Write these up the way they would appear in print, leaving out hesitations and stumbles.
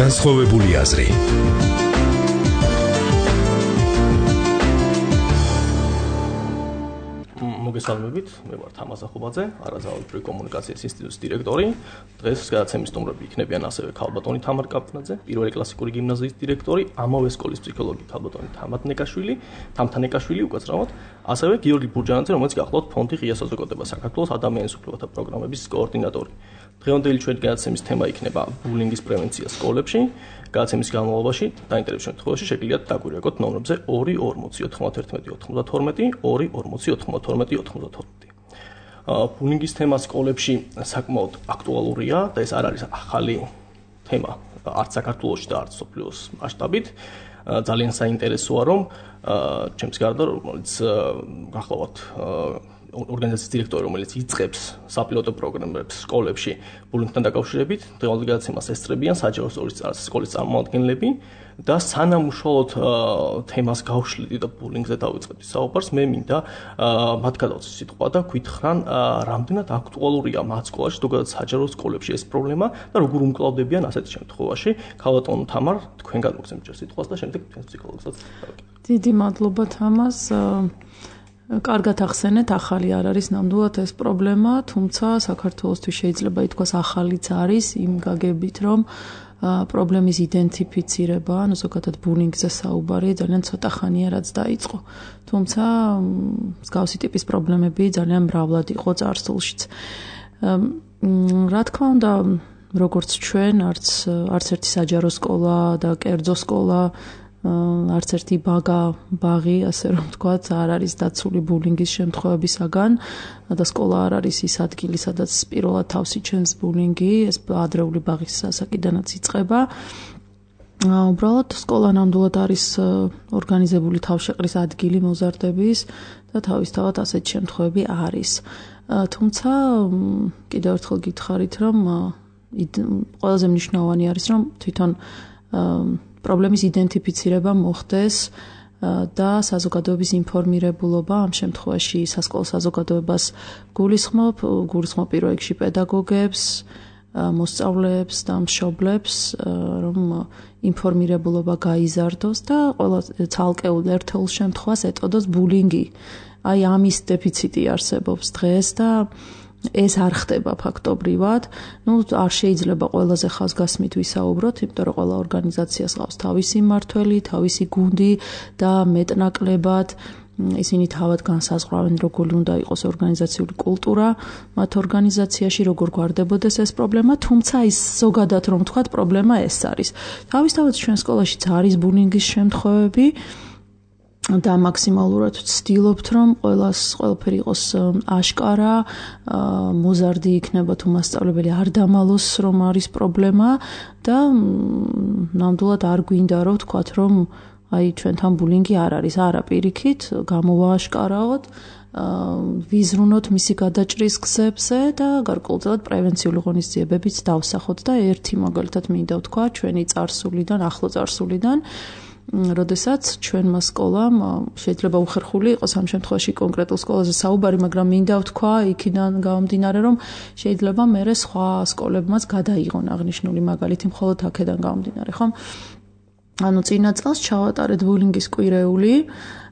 განსხვავებული აზრი. მოგესალმებით, მე ვარ თამაზ ახუბაძე, არაზავალებრივი კომუნიკაციის ინსტიტუტის დირექტორი. დღეს გადაცემის სტუმრები იქნებიან ასევე ქალბატონი თამარ კაპნაძე, პირველი კლასიკური გიმნაზიის დირექტორი, ამავე სკოლის ფსიქოლოგი ქალბატონი თამთანეკაშვილი, უკაცრავად, ასევე გიორგი ბურჯანაძე, რომელიც გახლავთ ფონდი ღია საზოგადოება საქართველოს ადამიანის უფლებათა პროგრამების კოორდინატორი. დღევანდელი ჩვენი გადაცემის თემა იქნება ბულინგის პრევენცია სკოლებში. გადაცემის განმავლობაში დაინტერესებულ შემთხვევაში შეგიძლიათ დაგვირეკოთ ნომრებზე 241 92 240 ბულინგის თემა სკოლებში საკმაოდ აქტუალურია და ეს არ არის ახალი თემა არც საქართველოში და არც მსოფლიოს მასშტაბით. ძალიან საინტერესოა, რომ ჩემს გარდა რომელიც გახლავთ ორგანიზაციის დირექტორი, რომელიც იწყებს საპილოტო პროგრამებს სკოლებში ბულინგთან დაკავშირებით, დღევანდელ გადაცემას ესწრებიან საჯარო სკოლის წარმომადგენლები და სანამ უშუალოდ თემას გავშლით და ბულინგზე დავიწყებთ საუბარს, მე მინდა მათ გადავწყვეტ სიტყვა და გითხრან, რამდენად აქტუალურია მათ სკოლაში, ზოგადად საჯარო სკოლებში ეს პრობლემა და როგორ უმკლავდებიან ასეთ შემთხვევაში. ქალბატონ თამარ, თქვენ გადმოგცემთ სიტყვას და შემდეგ თქვენ ფსიქოლოგსაც დავიკითხოთ. დიდი მადლობა თამას. კარგად ახსენეთ, ახალი არ არის ნამდვილად ეს პრობლემა, თუმცა საქართველოსთვის შეიძლება ითქვას ახალიც არის იმ გაგებით, რომ პრობლემის იდენტიფიცირება, ანუ ზოგადად ბულინგზე საუბარი ძალიან ცოტა ხანია რაც დაიწყო. თუმცა მსგავსი ტიპის პრობლემები ძალიან მრავლად იყო წარსულშიც. რა თქმა უნდა, როგორც ჩვენ, არც ერთი საჯარო სკოლა და კერძო სკოლა არც ერთი ბაღი, ასე რომ ვთქვათ, არ არის დაცული ბულინგის შემთხვევებისაგან და სკოლა არ არის ის ადგილი, სადაც პირველად თავს იჩენს ბულინგი, ეს ადრეული ბაღის ასაკიდანაც იწყება. უბრალოდ სკოლა ნამდვილად არის ორგანიზებული თავშეყრის ადგილი მოზარდების და თავისთავად ასეთ შემთხვევები არის. თუმცა კიდევ ერთხელ გითხარით, რომ ყველაზე მნიშვნელოვანი არის, რომ თვითონ პრობლემის იდენტიფიცირება მოხდეს და საზოგადოების ინფორმირებულობა ამ შემთხვევაში სასკოლო საზოგადოებას გულისხმობ პირველ რიგში პედაგოგებს, მოსწავლეებს და მშობლებს, რომ ინფორმირებულობა გაიზარდოს და ყველა ცალკეულ ერთეულ შემთხვევას ეტყოდოს ბულინგი. აი ამის დეფიციტი არსებობს დღეს და ეს არ ხდება ფაქტობრივად. არ შეიძლება ყველაზე ხაზგასმით ვისაუბროთ, იმიტომ რომ ყველა ორგანიზაციას ყავს თავისი მმართველი, თავისი გუნდი და მეტნაკლებად ისინი თავად განსაზღვრავენ, როგორი უნდა იყოს ორგანიზაციული კულტურა მათ ორგანიზაციაში, როგორ გვარდებოდეს ეს პრობლემა, თუმცა ის ზოგადად რომ ვთქვათ, პრობლემა ეს არის. თავისთავად ჩვენ სკოლაშიც არის ბულინგის შემთხვევები და მაქსიმალურად ვცდილობთ, რომ ყველაფერი იყოს აშკარა, მოზარდი იქნება თუ მასწავლებელი არ დამალოს, რომ არის პრობლემა და ნამდვილად არ გვინდა რომ ვთქვათ, რომ აი ჩვენთან ბულინგი არ არის, არა პირიქით, გამოვააშკარაოთ, ვიზრუნოთ მისი გადაჭრის გზებზე და გარკვეულწილად პრევენციული ღონისძიებებიც დავსახოთ და ერთი მაგალითად მინდა ვთქვა ჩვენი ახლო წარსულიდან, როდესაც ჩვენმა სკოლამ შეიძლება უხერხული იყოს ამ შემთხვევაში კონკრეტულ სკოლაზე საუბარი, მაგრამ მინდა ვთქვა იქიდან გამომდინარე, რომ შეიძლება მერე სხვა სკოლებმაც გადაიღონ აღნიშნული მაგალითი მხოლოდ აქედან გამომდინარე, ხომ? ანუ წინა წელს ჩავატარეთ ბულინგის კვირეული,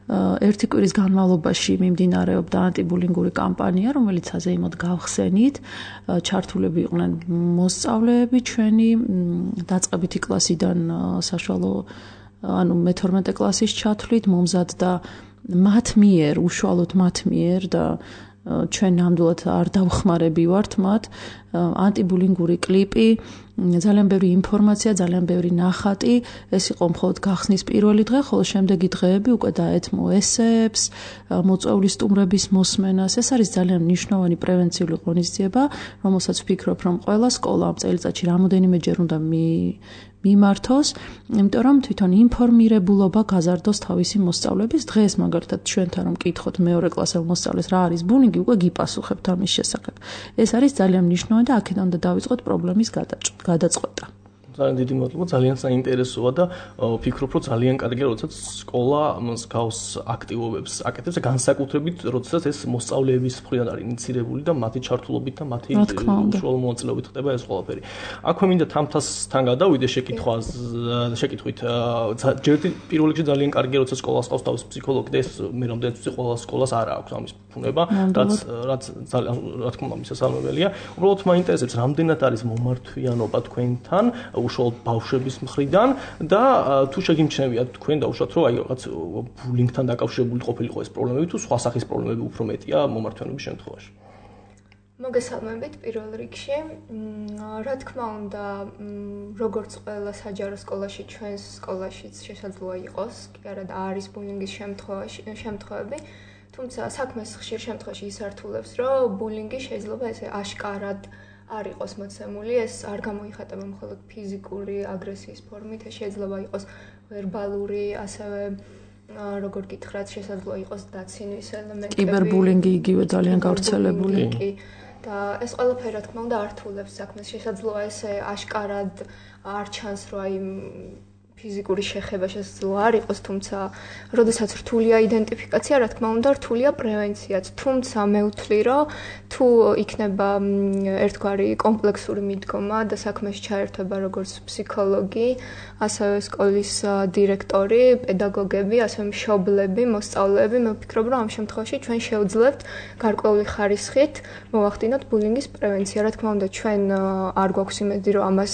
ერთი კვირის განმავლობაში მიმდინარეობდა ანტიბულინგური კამპანია, რომელიც აზეიმოდ გავხსენით, ჩართულები იყვნენ მოსწავლეები ჩვენი დაწყებითი კლასიდან საშუალო ანუ მე-12 კლასის ჩათვლით მომზადდა უშუალოდ მათ მიერ და ჩვენ ნამდვილად არ დავხმარებივართ მათ ანტიბულინგური კლიპი, ძალიან ბევრი ინფორმაცია, ძალიან ბევრი ნახატი, ეს იყო მხოლოდ გახსნის პირველი დღე, ხოლო შემდეგი დღეები უკვე დაეთმო ესეებს, მოწვეული სტუმრების მოსმენას. ეს არის ძალიან მნიშვნელოვანი პრევენციული ღონისძიება, რომელსაც ვფიქრობ, რომ ყველა სკოლა ამ წელიწადში რამოდენიმეჯერ უნდა მიმართოს, იმიტომ რომ თვითონ ინფორმირებულობა გაზარდოს თავისი მოსწავლეების. დღეს მაგალითად ჩვენთან რომ მკითხოთ მეორე კლასელ მოსწავლეს რა არის ბულინგი, უკვე გიპასუხებთ ამის შესახებ. ეს არის ძალიან მნიშვნელოვანი და აქედან უნდა დავიწყოთ პრობლემის გადაწყვეტა. ძალიან დიდი მადლობა, ძალიან საინტერესოა და ვფიქრობ, რომ ძალიან კარგია, როდესაც სკოლა მსგავს აქტივობებს აკეთებს და განსაკუთრებით, როდესაც ეს მოსწავლეების მხრიდან არის ინიცირებული და მათი ჩართულობით და მათი უშუალო მონაწილეობით ხდება ეს ყველაფერი. აქვე მინდა თამთასთან გადავიდე შეკითხვით. პირველ რიგში ძალიან კარგია, როდესაც სკოლას ყავს თავის ფსიქოლოგი და ეს მე რამდენიც ვიცი, ყველა სკოლას არ აქვს ამის ფუნება, რაც ძალიან რა თქმა უნდა მისასალმებელია. უბრალოდ მაინტერესებს, რამდენად არის მომართვიანობა თქვენთან, უშუალოდ ბავშვების მხრიდან და თუ შეგიმჩნევია თქვენ დაუშვათ, რომ აი რაღაც ბულინგთან დაკავშირებული ყოფილიყო ეს პრობლემები თუ სხვა სახის პრობლემები უფრო მეტია მომართვიანობის შემთხვევაში. მოგესალმებით პირველ რიგში. რა თქმა უნდა, როგორც ყველა საჯარო სკოლაში, ჩვენს სკოლაშიც შესაძლოა იყოს, კი არა და არის ბულინგის შემთხვევები, თუმცა საქმეს ხშირ შემთხვევაში ისართულებს, რომ ბულინგი შეიძლება ესე აშკარად არ იყოს მოცემული, ეს არ გამოიხატება მხოლოდ ფიზიკური აგრესიის ფორმით, ეს შეიძლება იყოს ვერბალური, ასევე როგორ გითხრათ, შესაძლოა იყოს დაცინვის ელემენტები. კიბერბულინგი იგივე ძალიან გავრცელებული. და ეს ყველაფერი რა თქმა უნდა ართულებს საქმეს, შესაძლოა ესე აშკარად არ ჩანს, რომ აი ფიზიკური შეხება შესაძლოა არ იყოს, თუმცა როდესაც რთულია იდენტიფიკაცია, რა თქმა უნდა რთულია პრევენციაც. თუმცა მე ვთვლი, რომ თუ იქნება ერთგვარი კომპლექსური მიდგომა და საქმეში ჩაერთვება როგორც ფსიქოლოგი, ასევე სკოლის დირექტორი, პედაგოგები, ასევე მშობლები, მოსწავლეები, მე ვფიქრობ, რომ ამ შემთხვევაში ჩვენ შევძლებთ გარკვეული ხარისხით მოვახდინოთ ბულინგის პრევენცია. რა თქმა უნდა, ჩვენ არ გვაქვს იმედი, რომ ამას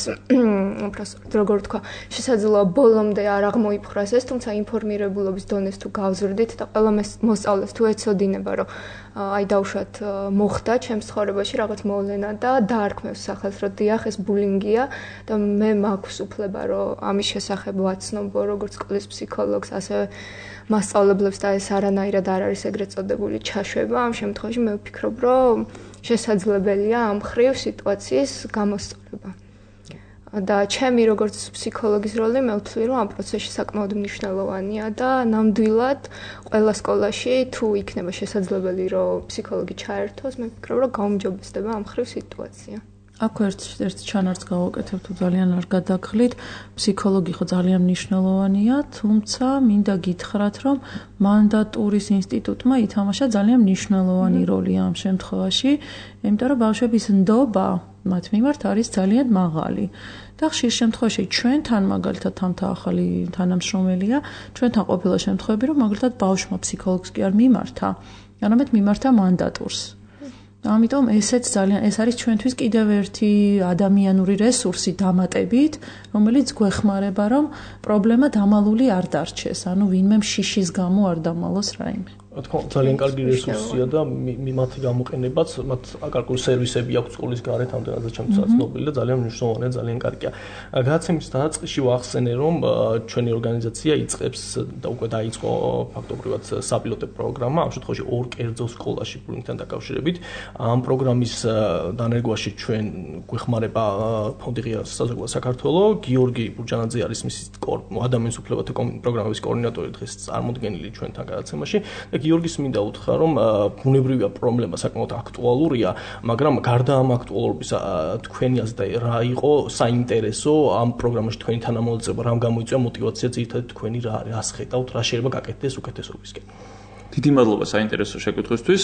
როგორ თქვა, შესაძლოა ბოლომდე არ აღმოიფხვრას ეს, თუმცა ინფორმირებულობის დონეს თუ გავზრდით და ყველა მოსწავლეს თუ ეცოდინება, რომ აი დაუშვათ მოხდა ჩემს ცხოვრებაში რაღაც მოვლენა და დაარქმევს სახელს, რომ დიახ ეს ბულინგია და მე მაქვს უფლება, რომ ამის შესახებ ვაცნობო როგორც სკოლის ფსიქოლოგს, ასევე მასწავლებლებს და ეს არანაირად არ არის ეგრეთ წოდებული ჩაშვება. ამ შემთხვევაში მე ვფიქრობ, რომ შესაძლებელია ამ ხრივ სიტუაციის გამოსწორება. და ჩემი როგორც ფსიქოლოგის როლი მე ვთვლი, რომ ამ პროცესში საკმაოდ მნიშვნელოვანია და ნამდვილად ყველა სკოლაში თუ იქნება შესაძლებელი, რომ ფსიქოლოგი ჩაერთოს, მე ვფიქრობ, რომ გაუმჯობესდება ამ ხრივ სიტუაცია. აქ ერთ ჩანართს გავაკეთებ თუ ძალიან არ გადაგხლით, ფსიქოლოგი ხო ძალიან მნიშვნელოვანია, თუმცა მინდა გითხრათ, რომ მანდატურის ინსტიტუტმა ითამაშა ძალიან მნიშვნელოვანი როლი ამ შემთხვევაში, იმიტომ რომ ბავშვების ნდობა მათ მიმართ არის ძალიან მაღალი. და ხშირ შემთხვევაში ჩვენთან მაგალითად თამთა ახალი თანამშრომელია, ჩვენთან ყოფილა შემთხვევები, რომ მაგალითად ბავშვმა ფსიქოლოგს კი არ მიმართა, არამედ მიმართა მანდატურს. ამიტომ ეს არის ჩვენთვის კიდევ ერთი ადამიანური რესურსი დამატებით, რომელიც გვეხმარება, რომ პრობლემა დამალული არ დარჩეს, ანუ ვინმე შიშის გამო არ დამალოს რაიმე. რა თქმა უნდა, ძალიან კარგი რესურსია და მათი გამოყენებაც, მათ აკარკული სერვისები აქვს სკოლის გარეთ, ამდენადაც ჩემთვის ცნობილი და ძალიან მნიშვნელოვანია, ძალიან კარგია. გადაცემის დაწყისში ვახსენე, რომ ჩვენი ორგანიზაცია იწყებს და უკვე დაიწყო ფაქტობრივად საპილოტო პროგრამა, ამ შემთხვევაში ორ კერძო სკოლაში ბულინგთან დაკავშირებით. ამ პროგრამის დანერგვაში ჩვენ გვეხმარება ფონდი ღია საზოგადოება საქართველოს, გიორგი ბურჯანაძე არის მისი ადამიანის უფლებათა პროგრამების კოორდინატორი, დღეს წარმოდგენილი ჩვენთან გადაცემაში. გიორგის მინდა უთხრა, რომ ბუნებრივია პრობლემა საკმაოდ აქტუალურია, მაგრამ გარდა ამ აქტუალურობისა თქვენი აზრით რა იყო საინტერესო ამ პროგრამაში თქვენი თანამოწება, რამ გამოიწვია мотиваცია ძირითადად თქვენი რას ხედავთ, რა შეიძლება გაკეთდეს უკეთესობისკენ. დიდი მადლობა საინტერესო შეკითხვისთვის.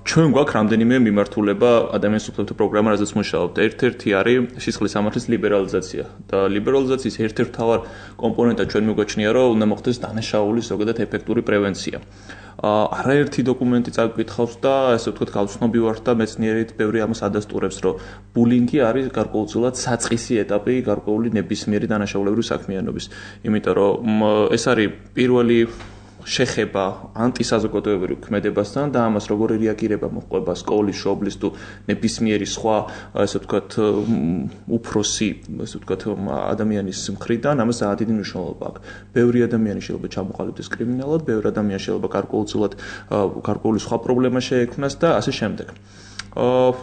ჩვენ გვაქვს რამდენიმე მიმართულება ადამიანის უფლებათა პროგრამა, რაზეც მუშაობთ. ერთ-ერთი არის სისხლის სამართლის ლიბერალიზაცია და ლიბერალიზაციის ერთ-ერთი მთავარ კომპონენტად ჩვენ მიგვაჩნია, რომ უნდა მოხდეს დანაშაულის ზოგადად ეფექტური პრევენცია. არაერთი დოკუმენტი წაკითხავს და ესე ვთქვათ გავცნობი ვარ და მეცნიერით ბევრი ამას ადასტურებს, რომ ბულინგი არის გარკვეულწილად საწყისი ეტაპი გარკვეული ნებისმიერი დანაშაულებრივი საქმიანობის. იმიტომ რომ ეს არის პირველი შეხება ანტისაზოგადოებრივ ქმედებასთან და ამას როგორი რეაგირება მოჰყვება სკოლის, შობლის თუ ნებისმიერი სხვა, ესე ვთქვათ, უფროსი, ესე ვთქვათ, ადამიანის მხრიდან, ამას ძალიან დიდი მნიშვნელობა აქვს. ბევრი ადამიანი შეიძლება ჩამოყალიბდეს კრიმინალად, ბევრი ადამიანი შეიძლება გარკვეულწილად გარკვეული სხვა პრობლემა შეექმნას და ასე შემდეგ.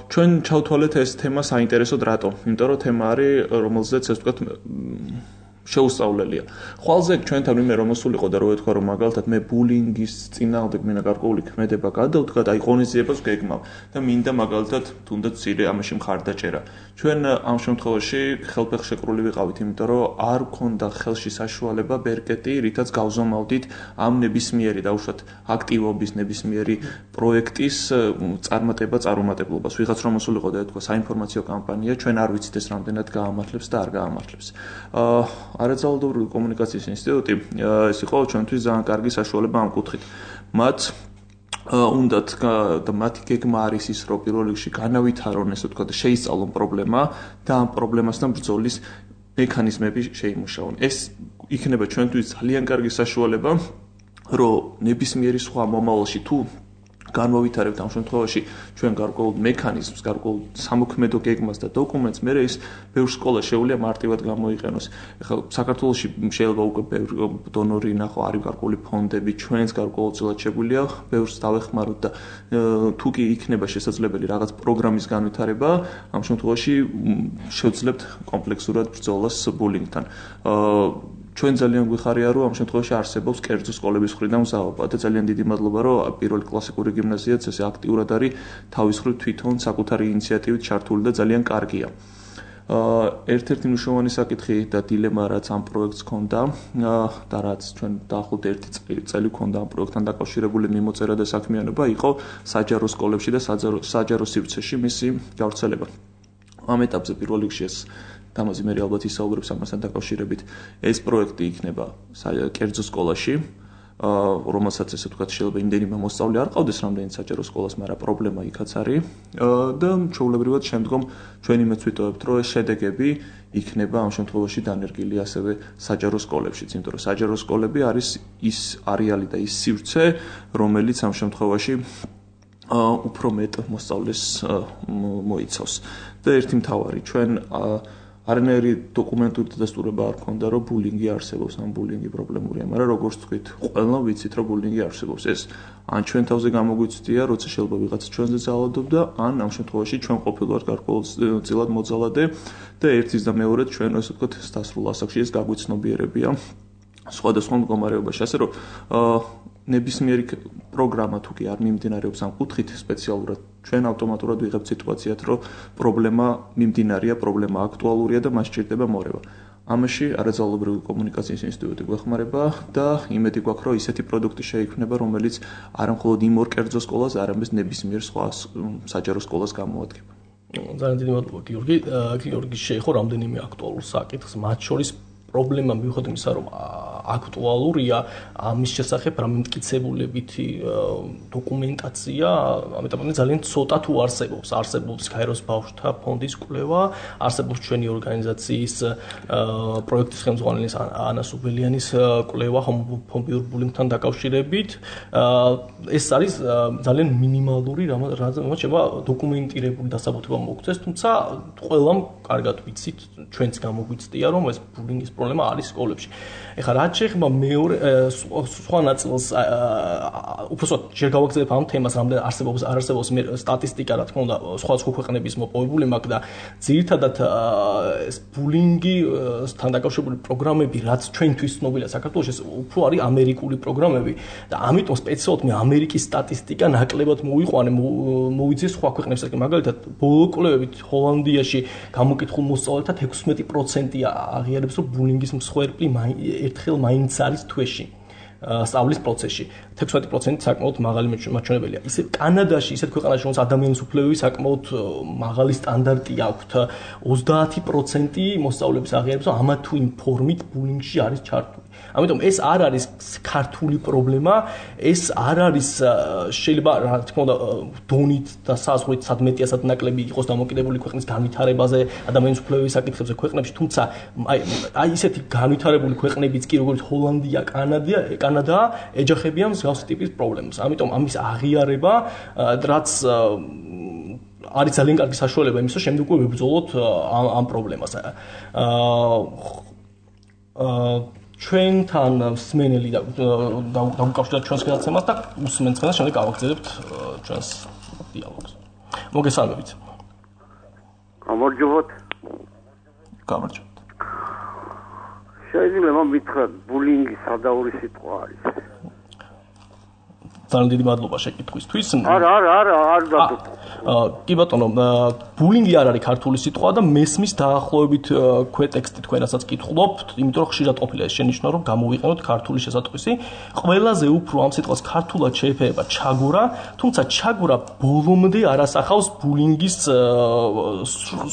ჩვენ ჩავთვალეთ ეს თემა საინტერესოდ რატო? იმიტომ რომ თემა არის, რომელზეც ესე ვთქვათ შეუსწავლელია. ხვალზე ჩვენთან ვინმე რომ მოსულიყო და რო ეთქვა რომ მაგალითად მე ბულინგის წინააღმდეგ მინდა გარკვეული ქმედება გადავდგა და აი ღონისძიებას გეგმავ და მინდა მაგალითად თუნდაც ცირე ამაში მხარდაჭერა. ჩვენ ამ შემთხვევაში ხელფეხშეკრული ვიყავით, იმიტომ რომ არ გქონდა ხელში საშუალება ბერკეტი, რითაც გავზომავდით ამ ნებისმიერი დაუშვათ აქტივობის ნებისმიერი პროექტის წარმატებულობას. ვიღაც რომ მოსულიყო და ეთქვა საინფორმაციო კამპანია, ჩვენ არ ვიცით ეს რამდენად გაამართლებს და არ გაამართლებს. არაძალადობრივი კომუნიკაციის ინსტიტუტი ეს იყო ჩვენთვის ძალიან კარგი საშუალება ამ კუთხით. მათ უნდათ და მათი გეგმა არის ის, რომ პირველ რიგში განავითარონ, ესე ვთქვათ, შეისწავლონ პრობლემა და ამ პრობლემასთან ბრძოლის მექანიზმები შეიმუშაონ. ეს იქნება ჩვენთვის ძალიან კარგი საშუალება, რომ ნებისმიერი სხვა მომავალში თუ განვავითარებთ ამ შემთხვევაში ჩვენ გარკვეულ მექანიზმს, გარკვეულ სამოქმედო გეგმას და დოკუმენტს, მე ის ბევრ სკოლა შეუძლია მარტივად გამოიყენოს. ეხლა საქართველოში შეიძლება უკვე ბევრი დონორი ნახო, არის გარკვეული ფონდები, ჩვენს გარკვეულწილად შეგვიძლია ბევრს დავეხმაროთ და თუ კი იქნება შესაძლებელი რაღაც პროგრამის განვითარება, ამ შემთხვევაში შევძლებთ კომპლექსურად ბრძოლას ბულინგთან. ჩვენ ძალიან გვიხარია, რომ ამ შემთხვევაში არსებობს კერძო სკოლების მხრიდან მზაობა და ძალიან დიდი მადლობა, რომ პირველი კლასიკური გიმნაზიაც ესე აქტიურად არის თავის მხრივ თვითონ საკუთარი ინიციატივით ჩართული და ძალიან კარგია. ერთ-ერთი მნიშვნელოვანი საკითხი და დილემა რაც ამ პროექტს ჰქონდა და რაც ჩვენ დაახლოებით 1 წელი ჰქონდა ამ პროექტთან დაკავშირებული მიმოწერა და საქმიანობა იყო საჯარო სკოლებში და საჯარო სივრცეში მისი გავრცელება. ამ ეტაპზე პირველ რიგში ეს თამაზი მე ალბათ ისაუბრებს ამასთან დაკავშირებით. ეს პროექტი იქნება კერძო სკოლაში, რომელსაც ესე ვთქვათ შეიძლება იმდენიმე მოსწავლე არ ყავდეს რამდენიც საჯარო სკოლას, მაგრამ პრობლემა იქაც არის და ჩვეულებრივად შემდგომ ჩვენი მეც ვიტოვებთ, რომ ეს შედეგები იქნება ამ შემთხვევაში დანერგილი ასევე საჯარო სკოლებშიც, იმიტომ რომ საჯარო სკოლები არის ის არეალი და ის სივრცე, რომელიც ამ შემთხვევაში უფრო მეტ მოსწავლეს მოიცავს. და ერთი მთავარი ჩვენ არანაირი დოკუმენტური დადასტურება არ ქონდა, რომ ბულინგი არსებობს, ან ბულინგი პრობლემურია, მაგრამ როგორც თქვით, ყველა ვიცით, რომ ბულინგი არსებობს. ეს ან ჩვენ თავზე გამოგვიცდია, როცა შეიძლება ვიღაცა ჩვენზე ძალადობდა, ან ამ შემთხვევაში ჩვენ ყოფილვართ გარკვეულწილად მოძალადე და ერთის და მეორედ ჩვენ ასე ვთქვათ, დასრულ ასაკში ეს გაგვიცნობიერებია სხვადასხვა მდგომარეობაში, ასე რომ ნებისმიერი პროგრამა თუ კი არ მიმდინარეობს ამ კუთხით სპეციალურად ჩვენ ავტომატურად ვიღებთ სიტუაციად, რომ პრობლემა მიმდინარია, პრობლემა აქტუალურია და მას სჭირდება მორევა. ამაში არაძალადობრივი კომუნიკაციის ინსტიტუტი გვეხმარება და იმედი გვაქვს, რომ ისეთი პროდუქტი შეიქმნება, რომელიც არა მხოლოდ იმ ორ კერძო სკოლას, არამედ ნებისმიერ სხვა საჯარო სკოლას გამოადგება. ძალიან დიდი მადლობა გიორგი. გიორგი შეეხო რამდენიმე აქტუალურ საკითხს, მათ შორის პრობლემა მიუხედავად იმისა, რომ აქტუალურია, ამის შესახებ რამემტკიცებულებითი დოკუმენტაცია, ამიტომ ძალიან ცოტა თუ არსებობს. არსებობს ქაიროს ბავშვთა ფონდის კვლევა, არსებობს ჩვენი ორგანიზაციის პროექტის ხელმძღვანელის ანა სუბელიანის კვლევა ჰომოფობიურ ბულინგთან დაკავშირებით. ეს არის ძალიან მინიმალური, რამაც შეიძლება დოკუმენტირებული დასაბუთება მოგცეს, თუმცა ყველამ კარგად ვიცით, ჩვენც გამოგვიცდია, რომ ეს ბულინგის პრობლემა არის სკოლებში. ეხლა რაც შეეხება მეორე სხვა ნაწილს, უბრალოდ ჯერ გავაგზავნებ ამ თემას, რამდენ არსებობს არ არსებობს სტატისტიკა, რა თქმა უნდა, სხვა ქვეყნების მოპოვებული მაქვს და ძირითადად ეს ბულინგთან დაკავშირებული პროგრამები, რაც ჩვენთვის ცნობილია საქართველოში, ეს უფრო არის ამერიკული პროგრამები და ამიტომ სპეციალურად მე ამერიკის სტატისტიკა ნაკლებად მოვიყვანე, მოვიძიე სხვა ქვეყნებსაც. მაგალითად, ბოლო კვლევებით ჰოლანდიაში გამოკითხულ მოსწავლეთა 16% აღიარებს, რომ ბულინგის მსხვერპლი ერთხელ მაინც არის თვეში სწავლის პროცესში. 16% საკმაოდ მაღალი მაჩვენებელია. ისე კანადაში, ისეთ ქვეყანაში, რომელსაც ადამიანის უფლებები საკმაოდ მაღალი სტანდარტი აქვთ, 30% მოსწავლეების აღიარებს, რომ ამა თუ იმ ფორმით ბულინგში არის ჩართული. ამიტომ ეს არ არის ქართული პრობლემა, ეს არ არის შეიძლება რა თქმა უნდა დონით და საზღვრით სადმეტია სადნაკლები იყოს დამოკიდებული ქვეყნის განვითარებაზე, ადამიანის უფლებების საკითხებზე ქვეყნებში, თუმცა აი ისეთი განვითარებული ქვეყნებიც კი როგორც ჰოლანდია, კანადა ეჯახებიან მსგავსი ტიპის პრობლემას. ამიტომ ამის აღიარება, რაც არის ძალიან კარგი საშუალება იმის, რომ შემდეგ ვებრძოლოთ ამ პრობლემას. ჩვენთან მსმენელი და დავუკავშიროთ ჩვენს გადაცემას და უსმენთ და შემდეგ გავაგრძელებთ ჩვენს დიალოგს. მოგესალმებით. გამარჯობათ. გამარჯობათ. შეიძლება მითხრათ ბულინგი სადაური სიტყვა არის. ძალიან დიდი მადლობა შეკითხვისთვის. არ დადო. კი ბატონო, ბულინგი არ არის ქართული სიტყვა და მესმის დაახლოებით ქვეტექსტი თქვენასაც კითხულობთ, იმიტომ რომ ხშირად ყოფილა ეს შენიშვნა, რომ გამოვიყენოთ ქართული შესატყვისი. ყველაზე უფრო ამ სიტყვას ქართულად შეეფერება ჩაგურა, თუმცა ჩაგურა ბოლომდე არ ასახავს ბულინგის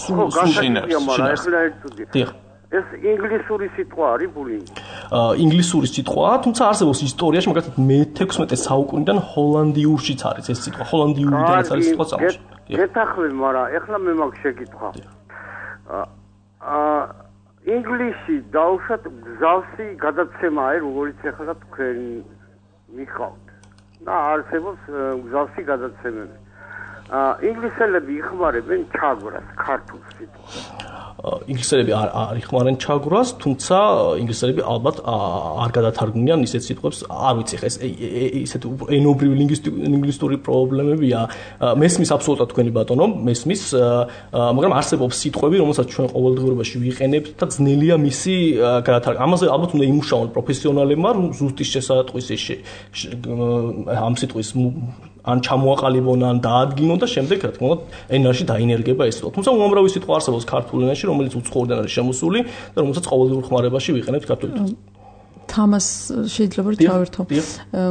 სულშინარს. ეს ინგლისური სიტყვა არის ბულინგი. ინგლისური სიტყვაა, თუმცა არსებობს ისტორიაში, მაგალითად მე-16 საუკუნიდან ჰოლანდიურშიც არის ეს სიტყვა. ჰოლანდიურიდანაც არის სიტყვა წარმოშობილი. გეთახლე, მაგრამ ეხლა მე მაგ შეკითხვა. ინგლისში დაუშვათ გზავსი გადაცემაა, როგორც ეხლა თქვენ მიხავთ. და არსებობს გზავსი გადაცემები. ინგლისელები იხმარებენ ჩაგვრას, ქართულ სიტყვას. ინგლისელები არ იხმარენ ჩაგვრას, თუმცა ინგლისელები ალბათ არ გადათარგმნიან ისეთ სიტყვებს, არ ვიცი ხა ეს ისეთ ენობრივი ლინგვისტური პრობლემებია. მესმის აბსოლუტურად თქვენი ბატონო, მესმის, მაგრამ არსებობს სიტყვები, რომელსაც ჩვენ ყოველდღიურობაში ვიყენებთ და ძნელია მისი გადათარგმნა. ამაზე ალბათ უნდა იმუშაონ პროფესიონალებმა, რომ ზუსტი შესატყვისი ამ სიტყვის ან ჩამოაყალიბონ, ან დაადგინონ და შემდეგ რა თქმა უნდა ენაში დაინერგება ეს სიტყვა. თუმცა უამრავი სიტყვა არსებობს ქართულ ენაში, რომელიც უცხოურიდან არის შემოსული და რომელსაც ყოველდღიურ ხმარებაში ვიყენებთ ქართულად. თამას შეიძლება რომ ჩავერთო.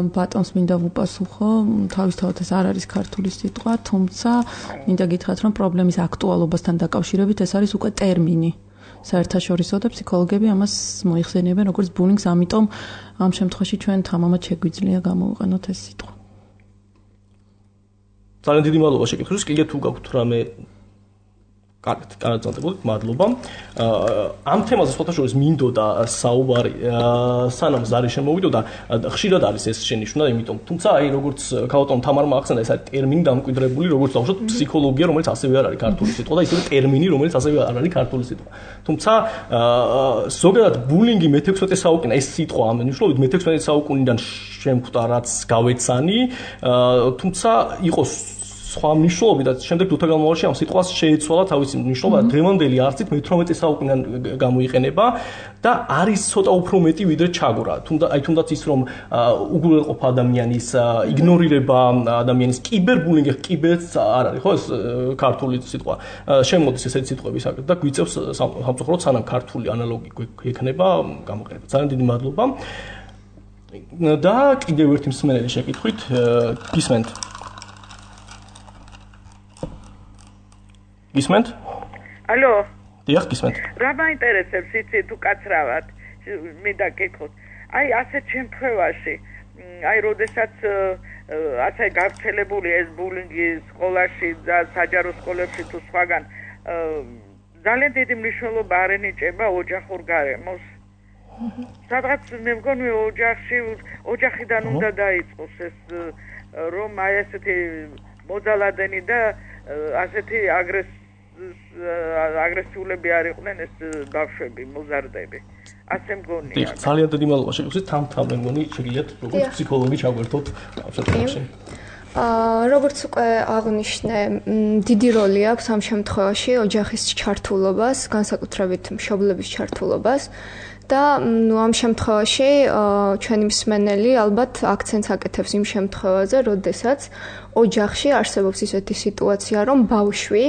ბატონს მინდა ვუპასუხო, თავისთავად ეს არ არის ქართული სიტყვა, თუმცა მინდა გითხრათ, რომ პრობლემის აქტუალობასთან დაკავშირებით ეს არის უკვე ტერმინი. საერთაშორისო და ფსიქოლოგები ამას მოიხსენიებენ როგორც ბულინგს, ამიტომ ამ შემთხვევაში ჩვენ თამამად შეგვიძლია გამოვიყენოთ ეს სიტყვა. ძალიან დიდი მადლობა შეკითხვისთვის. კიდე თუ გაქვთ რამე კარგად, მადლობა. ამ თემაზე სხვათაშორის მინდოდა საუბარი, სანამ ზარი შემოვიდოდა, ხშირად არის ეს შენიშვნა, იმიტომ, თუმცა აი როგორც ქალბატონ თამარმა ახსენა, ეს არის ტერმინი დამკვიდრებული, როგორც დავუშვათ ფსიქოლოგია, რომელიც ასევე არ არის ქართული სიტყვა და ისევე ტერმინი, რომელიც ასევე არ არის ქართული სიტყვა. თუმცა ზოგადად ბულინგი მე-16 საუკუნე ეს სიტყვა ამ მნიშვნელობით მე-16 საუკუნიდან შემხვდა, რაც გავეცანი, თუმცა იყოს სხვა მნიშვნელობით და შემდეგ დროთა განმავლობაში ამ სიტყვას შეეცვალა თავისი მნიშვნელობა და დღევანდელი არსით მე-18 საუკუნიდან გამოიყენება და არის ცოტა უფრო მეტი ვიდრე ჩაგვრა. თუნდაც ის რომ უგულელყოფა ადამიანის, იგნორირება ადამიანის, კიბერბულინგი, კიბერც არ არის, ხო ეს ქართული სიტყვა. შემოდის ესეთი სიტყვები საკეთ და გვიწევს სამწუხაროდ სანამ ქართული ანალოგი გვექნება გამოყენება. ძალიან დიდი მადლობა. და კიდევ ერთი მსმენელი შეკითხვით, გისმენთ? გისმენთ? ალო. დიახ, გისმენთ. რა მაინტერესებს იცი თუ კაცრავად? მინდა გითხოთ. აი ასეთ შემთხვევაში, აი როდესაც ასე გავრცელებული ეს ბულინგი სკოლაში და საჯარო სკოლებში თუ სხვაგან ძალიან დიდი მნიშვნელობა არ ენიჭება ოჯახურ გარემოს. სადღაც მე მგონი ოჯახიდან უნდა დაიწყოს ეს რომ აი ასეთი მოძალადენი და ასეთი აგრესიულები არ იყვნენ ეს ბავშვები, მოზარდები. ასე მგონია. დიახ, ძალიან დიდი მადლობა შეკითხვისთვის. თამთა მე მგონი შეგიძლიათ როგორც ფსიქოლოგი ჩაგვერთოთ ამ შემთხვევაში. როგორც უკვე აღნიშნე, დიდი როლი აქვს ამ შემთხვევაში ოჯახის ჩართულობას, განსაკუთრებით მშობლების ჩართულობას. და ამ შემთხვევაში ჩვენი მსმენელი ალბათ აქცენტს აკეთებს იმ შემთხვევაზე, როდესაც ოჯახში არსებობს ისეთი სიტუაცია, რომ ბავშვი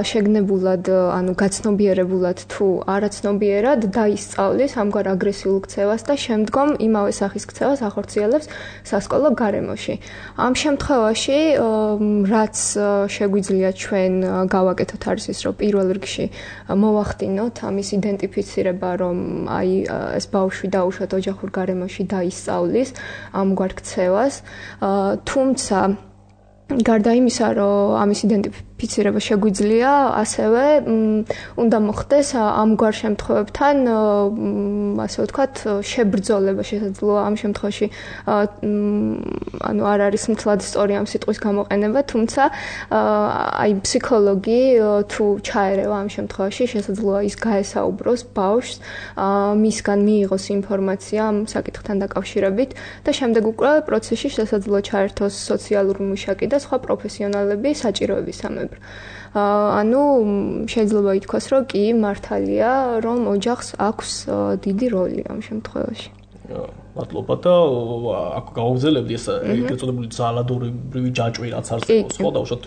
შეგნებულად, ანუ გაცნობიერებულად თუ არაცნობიერად დაისწავლის ამგვარ აგრესიულ ქცევას და შემდგომ იმავე სახის ქცევას ახორციელებს სასკოლო გარემოში. ამ შემთხვევაში, რაც შეგვიძლია ჩვენ გავაკეთოთ არის ის, რომ პირველ რიგში მოვახდინოთ ამის იდენტიფიცირება, რომ აი ეს ბავშვი დაუშვათ ოჯახურ გარემოში დაისწავლის ამგვარ ქცევას, თუმცა გარდა იმისა, რომ ამის იდენტიფიცირება შეგვიძლია, ასევე უნდა მოხდეს ამგვარ შემთხვევებთან, ასე ვთქვათ, შებრძოლება შესაძლოა ამ შემთხვევაში, ანუ არ არის მთლად სწორი ამ სიტყვის გამოყენება, თუმცა აი ფსიქოლოგი თუ ჩაერევა ამ შემთხვევაში, შესაძლოა ის გაესაუბროს ბავშვს, მისგან მიიღოს ინფორმაცია ამ საკითხთან დაკავშირებით და შემდეგ უკვე პროცესში შესაძლოა ჩაერთოს სოციალური მუშაკი და სხვა პროფესიონალები, საჭიროებისამებრ. მეგობრებო. ანუ შეიძლება ითქვას, რომ კი მართალია, რომ ოჯახს აქვს დიდი როლი ამ შემთხვევაში. მადლობა და აქ გავაგზავნებდი ეს ეგრეთ წოდებული ძალადობრივი ჯაჭვი რაც არსებობს ხო დაუშვათ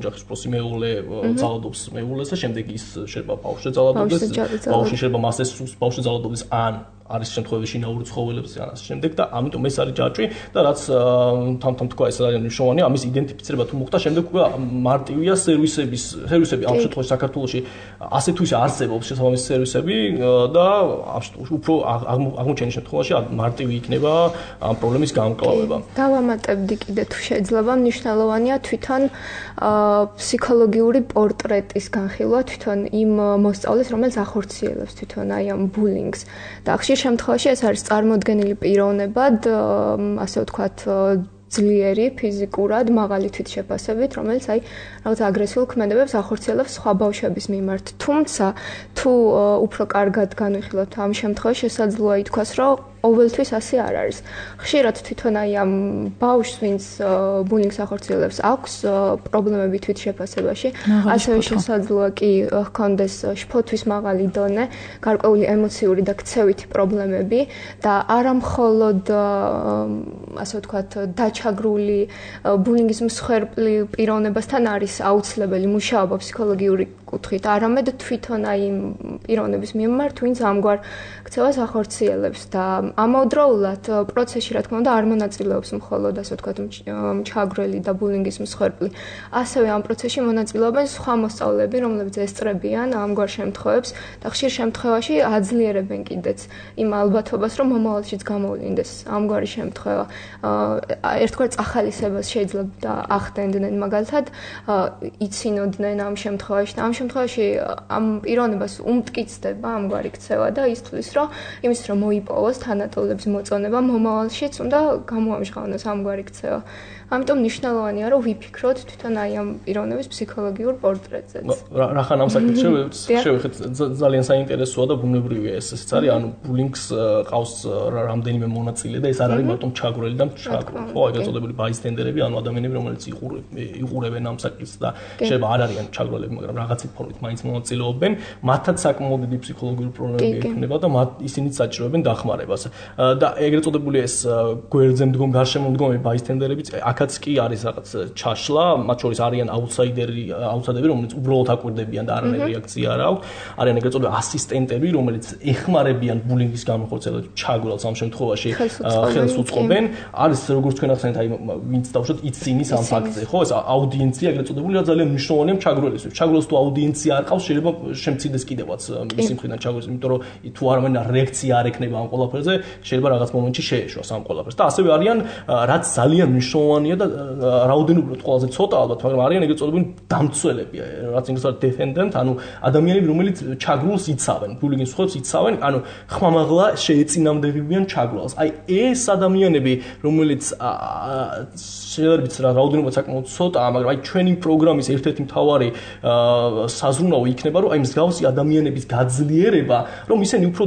ოჯახის პროსი მეულე ძალადობს მეულეს და შემდეგ ის შეიძლება ბავშვზე ძალადობდეს ბავშვი შეიძლება მასეს ბავშვზე ძალადობდეს ან არის შემთხვევაში შინაური ცხოველებს ან ასე შემდეგ და ამიტომ ეს არის ჯაჭვი და რაც თამთამ თქვა ეს არის მნიშვნელოვანია ამის იდენტიფიცირება თუ მოხდა შემდეგ უკვე მარტივია სერვისები ამ შემთხვევაში საქართველოში ასე თუ ისე არსებობს შესაბამისი სერვისები და უფრო აღმოჩენის შემთხვევაში მარტივი იქნება ამ პრობლემის გამკლავება. დავამატებდი კიდე თუ შეიძლება მნიშვნელოვანია თვითონ ფსიქოლოგიური პორტრეტის განხილვა თვითონ იმ მოსწავლეს რომელიც ახორციელებს თვითონ აი ამ ბულინგს და ხშირ შემთხვევაში ეს არის წარმოდგენილი პიროვნებად ასე ვთქვათ ძლიერი ფიზიკურად მაღალი თვითშეფასებით რომელიც აი რაღაც აგრესიულ ქმედებებს ახორციელებს სხვა ბავშვების მიმართ თუმცა თუ უფრო კარგად განვიხილოთ ამ შემთხვევაში შესაძლოა ითქვას რომ ყოველთვის ასე არ არის. ხშირად თვითონ აი ამ ბავშვს, ვინც ბულინგს ახორციელებს, აქვს პრობლემები თვითშეფასებაში, ასევე შესაძლოა კი ჰქონდეს შფოთვის მაღალი დონე, გარკვეული ემოციური და ქცევითი პრობლემები და არა მხოლოდ ასე ვთქვათ, დაჩაგრული ბულინგის მსხვერპლი პიროვნებასთან არის აუცილებელი მუშაობა ფსიქოლოგიური კუთხით, არამედ თვითონ აი იმ პიროვნების მიმართ, ვინც ამგვარ ქცევას ახორციელებს და ამავდროულად პროცესში რა თქმა უნდა არ მონაწილეობს მხოლოდ ასე ვთქვათ ჩაგრელი და ბულინგის მსხვერპლი. ასევე ამ პროცესში მონაწილეობენ სხვა მოსწავლეები, რომლებიც ესწრებიან ამგვარ შემთხვევებს და ხშირ შემთხვევაში აძლიერებენ კიდეც იმ ალბათობას, რომ მომავალშიც გამოვლინდეს ამგვარი შემთხვევა. ერთგვარ წახალისებას შეიძლება ახდენდნენ მაგალითად იცინოდნენ ამ შემთხვევაში და ამ შემთხვევაში ამ პიროვნებას უმტკიცდება ამგვარი ქცევა და ის თulis რომ იმის რომ მოიპოვოს თანატოლების მოწონება მომავალშიც უნდა გამოამჟღავნოს ამგვარი ქცევა. ამიტომ მნიშვნელოვანია რომ ვიფიქროთ თვითონ აი ამ პიროვნების ფსიქოლოგიურ პორტრეტზეც. რახან ამ საკითხს შევეხეთ ძალიან საინტერესოა და ბუნებრივია ესეც არის ანუ ბულინგს ყავს რამდენიმე მონაწილე და ეს არ არის მარტო ჩაგრელი და ჩაგრელი ხო ეგრეთ წოდებული ბაისტენდერები ანუ ადამიანები რომელიც იყურებენ ამ საკითხს და შეიძლება არ არიან ჩაგრელები მაგრამ რაღაცით ფორმით მაინც მონაწილეობენ მათაც საკმაოდ დიდი ფსიქოლოგიური პრობლემები ექნება და ისინიც საჭიროებენ დახმარებას და ეგრეთ წოდებული ეს გვერდზე მდგომი გარშემომდგომი ბაისტენდერებიც აქაც კი არის რაღაც ჩაშლა მათ შორის არიან აუტსაიდერები რომელიც უბრალოდ აკვირდებიან და არანაირი რეაქცია არ აქვს არიან ეგრეთ წოდებული ასისტენტები რომელიც ეხმარებიან ბულინგის განხორციელებას ჩაგვრელს ამ შემთხვევაში ხელს უწყობენ არის როგორც თქვენ ახსენეთ აი ვინც დავუშვათ იცინის ამ ფაქტზე ხო ეს აუდიენცია ეგრეთ წოდებული რა ძალიან მნიშვნელოვანია ჩაგვრელისთვის ჩაგვრელს თუ აუდიენცია არ ყავს შეიძლება შემცირდეს კიდევაც მისი მხრიდან ჩაგვრელს იმიტომ რომ თუ არამედ რეაქცია არ ექნება ამ ყველაფერზე შეიძლება რაღაც მომენტში შეეშვას ამ ყველაფერს და ასევე არიან რაც ძალიან მნიშვნელოვანია და რაოდენობრივად ყველაზე ცოტა ალბათ მაგრამ არიან ეგრეთ წოდებული დამცველები რაც ინგლისურად defendant ანუ ადამიანები რომელიც ჩაგრულს იცავენ ბულინგის მსხვერპლს იცავენ ანუ ხმამაღლა შეეწინამდებიან ჩაგრულს აი ეს ადამიანები რომელიც შეიძლება რაოდენობრივად საკმაოდ ცოტაა მაგრამ აი ჩვენი პროგრამის ერთ-ერთი მთავარი საზრუნავი იქნება რომ აი მსგავსი ადამიანების გაძლიერება რომ ისინი უფრო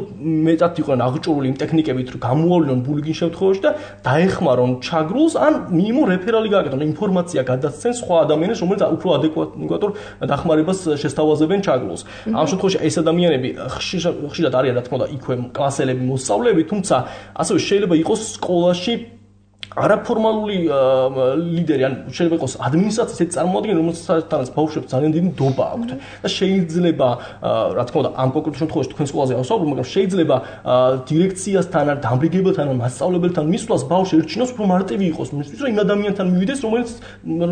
მეტად იყვნენ აღჭურვილი იმ ტექნიკებით რომ გამოავლინონ ბულინგის შემთხვევაში და დაეხმარონ ჩაგრულს ან მინიმუმ რეფერალი გააკეთონ ინფორმაცია გადასცენ სხვა ადამიანებს რომელიც უფრო ადეკვატურ დახმარებას შესთავაზებენ ჩაგრულს ამ შემთხვევაში ეს ადამიანები ხშირად არიან რა თქმა უნდა იქვე კლასელები მოსწავლეები თუმცა ასევე შეიძლება იყოს სკოლაში არაფორმალური ლიდერი ან შეიძლება იყოს ადმინისტრაციის ეს წარმოადგენელი რომელსაც ბავშვებს ძალიან დიდი ნდობა აქვთ და შეიძლება რა თქმა უნდა ამ კონკრეტულ შემთხვევაში თქვენ სკოლაზე ავსაუბრობ მაგრამ შეიძლება დირექციასთან ან დამბრიგებელთან ან მასწავლებელთან მისვლას ბავშვი ერჩინოს უფრო მარტივი იყოს მისთვის რომ იმ ადამიანთან მივიდეს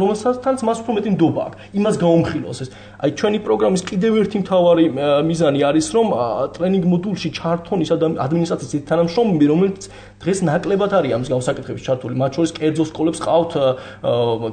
რომელსაც მას უფრო მეტი ნდობა აქვს იმას გაუმხილოს ეს აი ჩვენი პროგრამის კიდევ ერთი მთავარი მიზანი არის რომ ტრენინგ მოდულში ჩართონ ის ადმინისტრაციის თანამშრომლები რომელიც დღეს ნაკლებად არის ამ მსგავს საკითხებში ჩართული მათ შორის კერძო სკოლებს ყავთ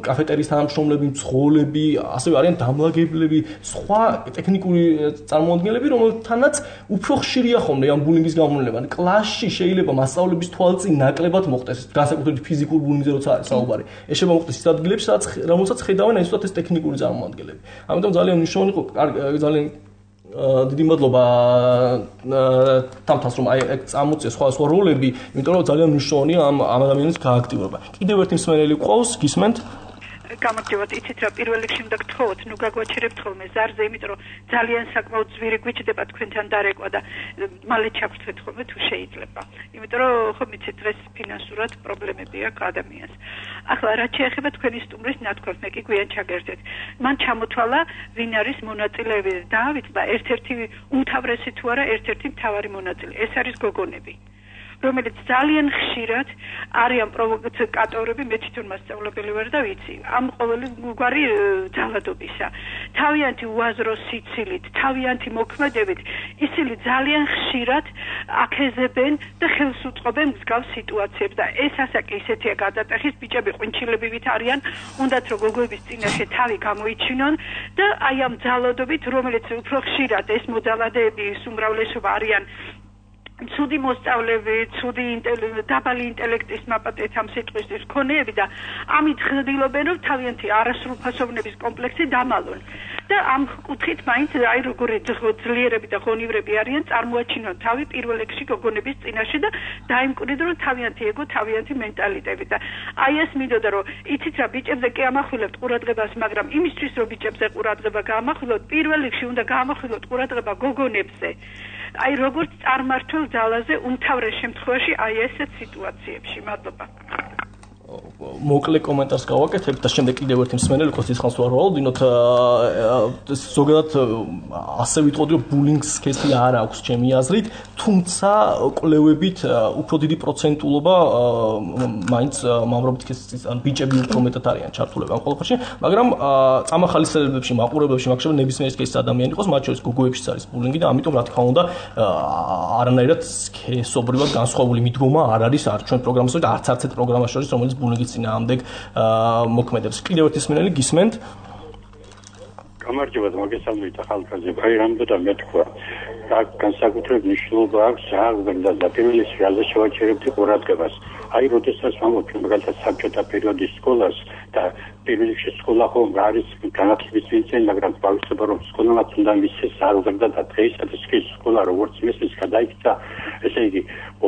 კაფეტერიის თანამშრომლები, მცხოვრები, ასევე არიან დამლაგებლები, სხვა ტექნიკური წარმოადგენლები, რომელთანაც უფრო ხშირია ხოლმე ამ ბულინგის გამოვლენა. კლასში შეიძლება მასწავლებლების თვალწინ ნაკლებად მოხდეს, განსაკუთრებით ფიზიკურ ბულინგზე როცა არის საუბარი. ეს შეიძლება მოხდეს ის ადგილებში, რომელსაც ხედავენ აი ზუსტად ეს ტექნიკური წარმოადგენლები. ამიტომ ძალიან მნიშვნელოვანი იყო, ძალიან დიდი მადლობა თამთას რომ აი წამოწია სხვა როლები, იმიტომ რომ ძალიან მნიშვნელოვანია ამ ადამიანის გააქტიურება. კიდევ ერთი მსმენელი გვყავს, გისმენთ? გამარჯობათ, იცით რა, პირველ რიგში უნდა გთხოვოთ, ნუ გაგვაჩერებთ ხოლმე ზარზე, იმიტომ რომ ძალიან საკმაოდ ძვირი გვიჭდება თქვენთან დარეკვა და მალე ჩაგვრთვეთ ხოლმე თუ შეიძლება. იმიტომ რომ ხო მიცით დღეს ფინანსურად პრობლემები აქვს ადამიანს. ახლა რაც შეეხება თქვენი სტუმრის ნათქვამს, მე კი გვიან ჩაგერთეთ. მან ჩამოთვალა ვინ არის მონაწილეები და დავიწყდა ერთ-ერთი უმთავრესი თუ არა ერთ-ერთი მთავარი მონაწილე. ეს არის გოგონები. რომელიც ძალიან ხშირად არიან პროვოკატორები, მე თვითონ მასწავლებელი ვარ და ვიცი. ამ ყოველგვარი ძალადობისა. თავიანთი უაზრო სიცილით, თავიანთი მოქმედებით, ისინი ძალიან ხშირად აქეზებენ და ხელს უწყობენ მსგავს სიტუაციებს და ეს ასაკი ისეთია გადატეხის, ბიჭები ყვინჩილებივით არიან, უნდათ რომ გოგოების წინაშე თავი გამოიჩინონ და აი ამ ძალადობით, რომელიც უფრო ხშირად ეს მოძალადეები უმრავლესობა არიან ცუდი მოსწავლეები, ცუდი დაბალი ინტელექტის მაპატეთ ამ სიტყვის მქონეები და ამით ხდილობენ რომ თავიანთი არასრულფასოვნების კომპლექსი დამალონ. და ამ კუთხით მაინც აი როგორი ძლიერები და ღონივრები არიან წარმოაჩინონ თავი პირველ რიგში გოგონების წინაშე და დაიმკვიდრონ რომ თავიანთი ეგო, თავიანთი მენტალიტეტი და აი ეს მინდოდა რომ იცით რა ბიჭებზე კი ამახვილებთ ყურადღებას, მაგრამ იმისთვის რომ ბიჭებზე ყურადღება გაამახვილოთ, პირველ რიგში უნდა გაამახვილოთ ყურადღება გოგონებზე. აი როგორც წარმართულ ძალაზე უმთავრეს შემთხვევაში აი ესეთ სიტუაციებში. მადლობა. მოკლე კომენტარს გავაკეთებ და შემდეგ კიდევ ერთი მსმენელი ხო სიცხანს ვარვალობ, ზოგადად ასე ვიტყოდი რომ ბულინგს კესი არ აქვს ჩემი აზრით, თუმცა კვლევებით უფრო დიდი პროცენტულობა მაინც მამრობით კესის ან ბიჭები უფრო მეტად არიან ჩართულები ამ ყველაფერში, მაგრამ წამახალისელებებში, მაყურებელებში მაგშობ ნებისმიერი კესის ადამიანი იყოს, მათ შორის გოგოებშიც არის ბულინგი და ამიტომ რა თქმა უნდა არანაირად სქესობრივად განსხვავებული მიდგომა არ არის არ ჩვენ პროგრამაზე და არც ერთ პროგრამას შორის რომელიც ბულინგის წინააღმდეგ მოქმედებს. კიდევ ერთი მსმენელი გისმენთ? გამარჯობათ, მოგესალმებით ახალგაზრდები. აი რამდენად მეთქვა. განსაკუთრებით მნიშვნელობა აქვს და პირველი რაზე შევაჩერებთ ყურადღებას. აი როდესაც ვამბობთ მაგალითად საბჭოთა პერიოდის სკოლას და პირველ რიგში სკოლა ხომ არის განათლების წინწენ, მაგრამ ბავშვობა რომ სკოლაც უნდა მისცეს აღზრდა და დღეისათვის კი სკოლა როგორც მისცეს გადაიქცა, ესე იგი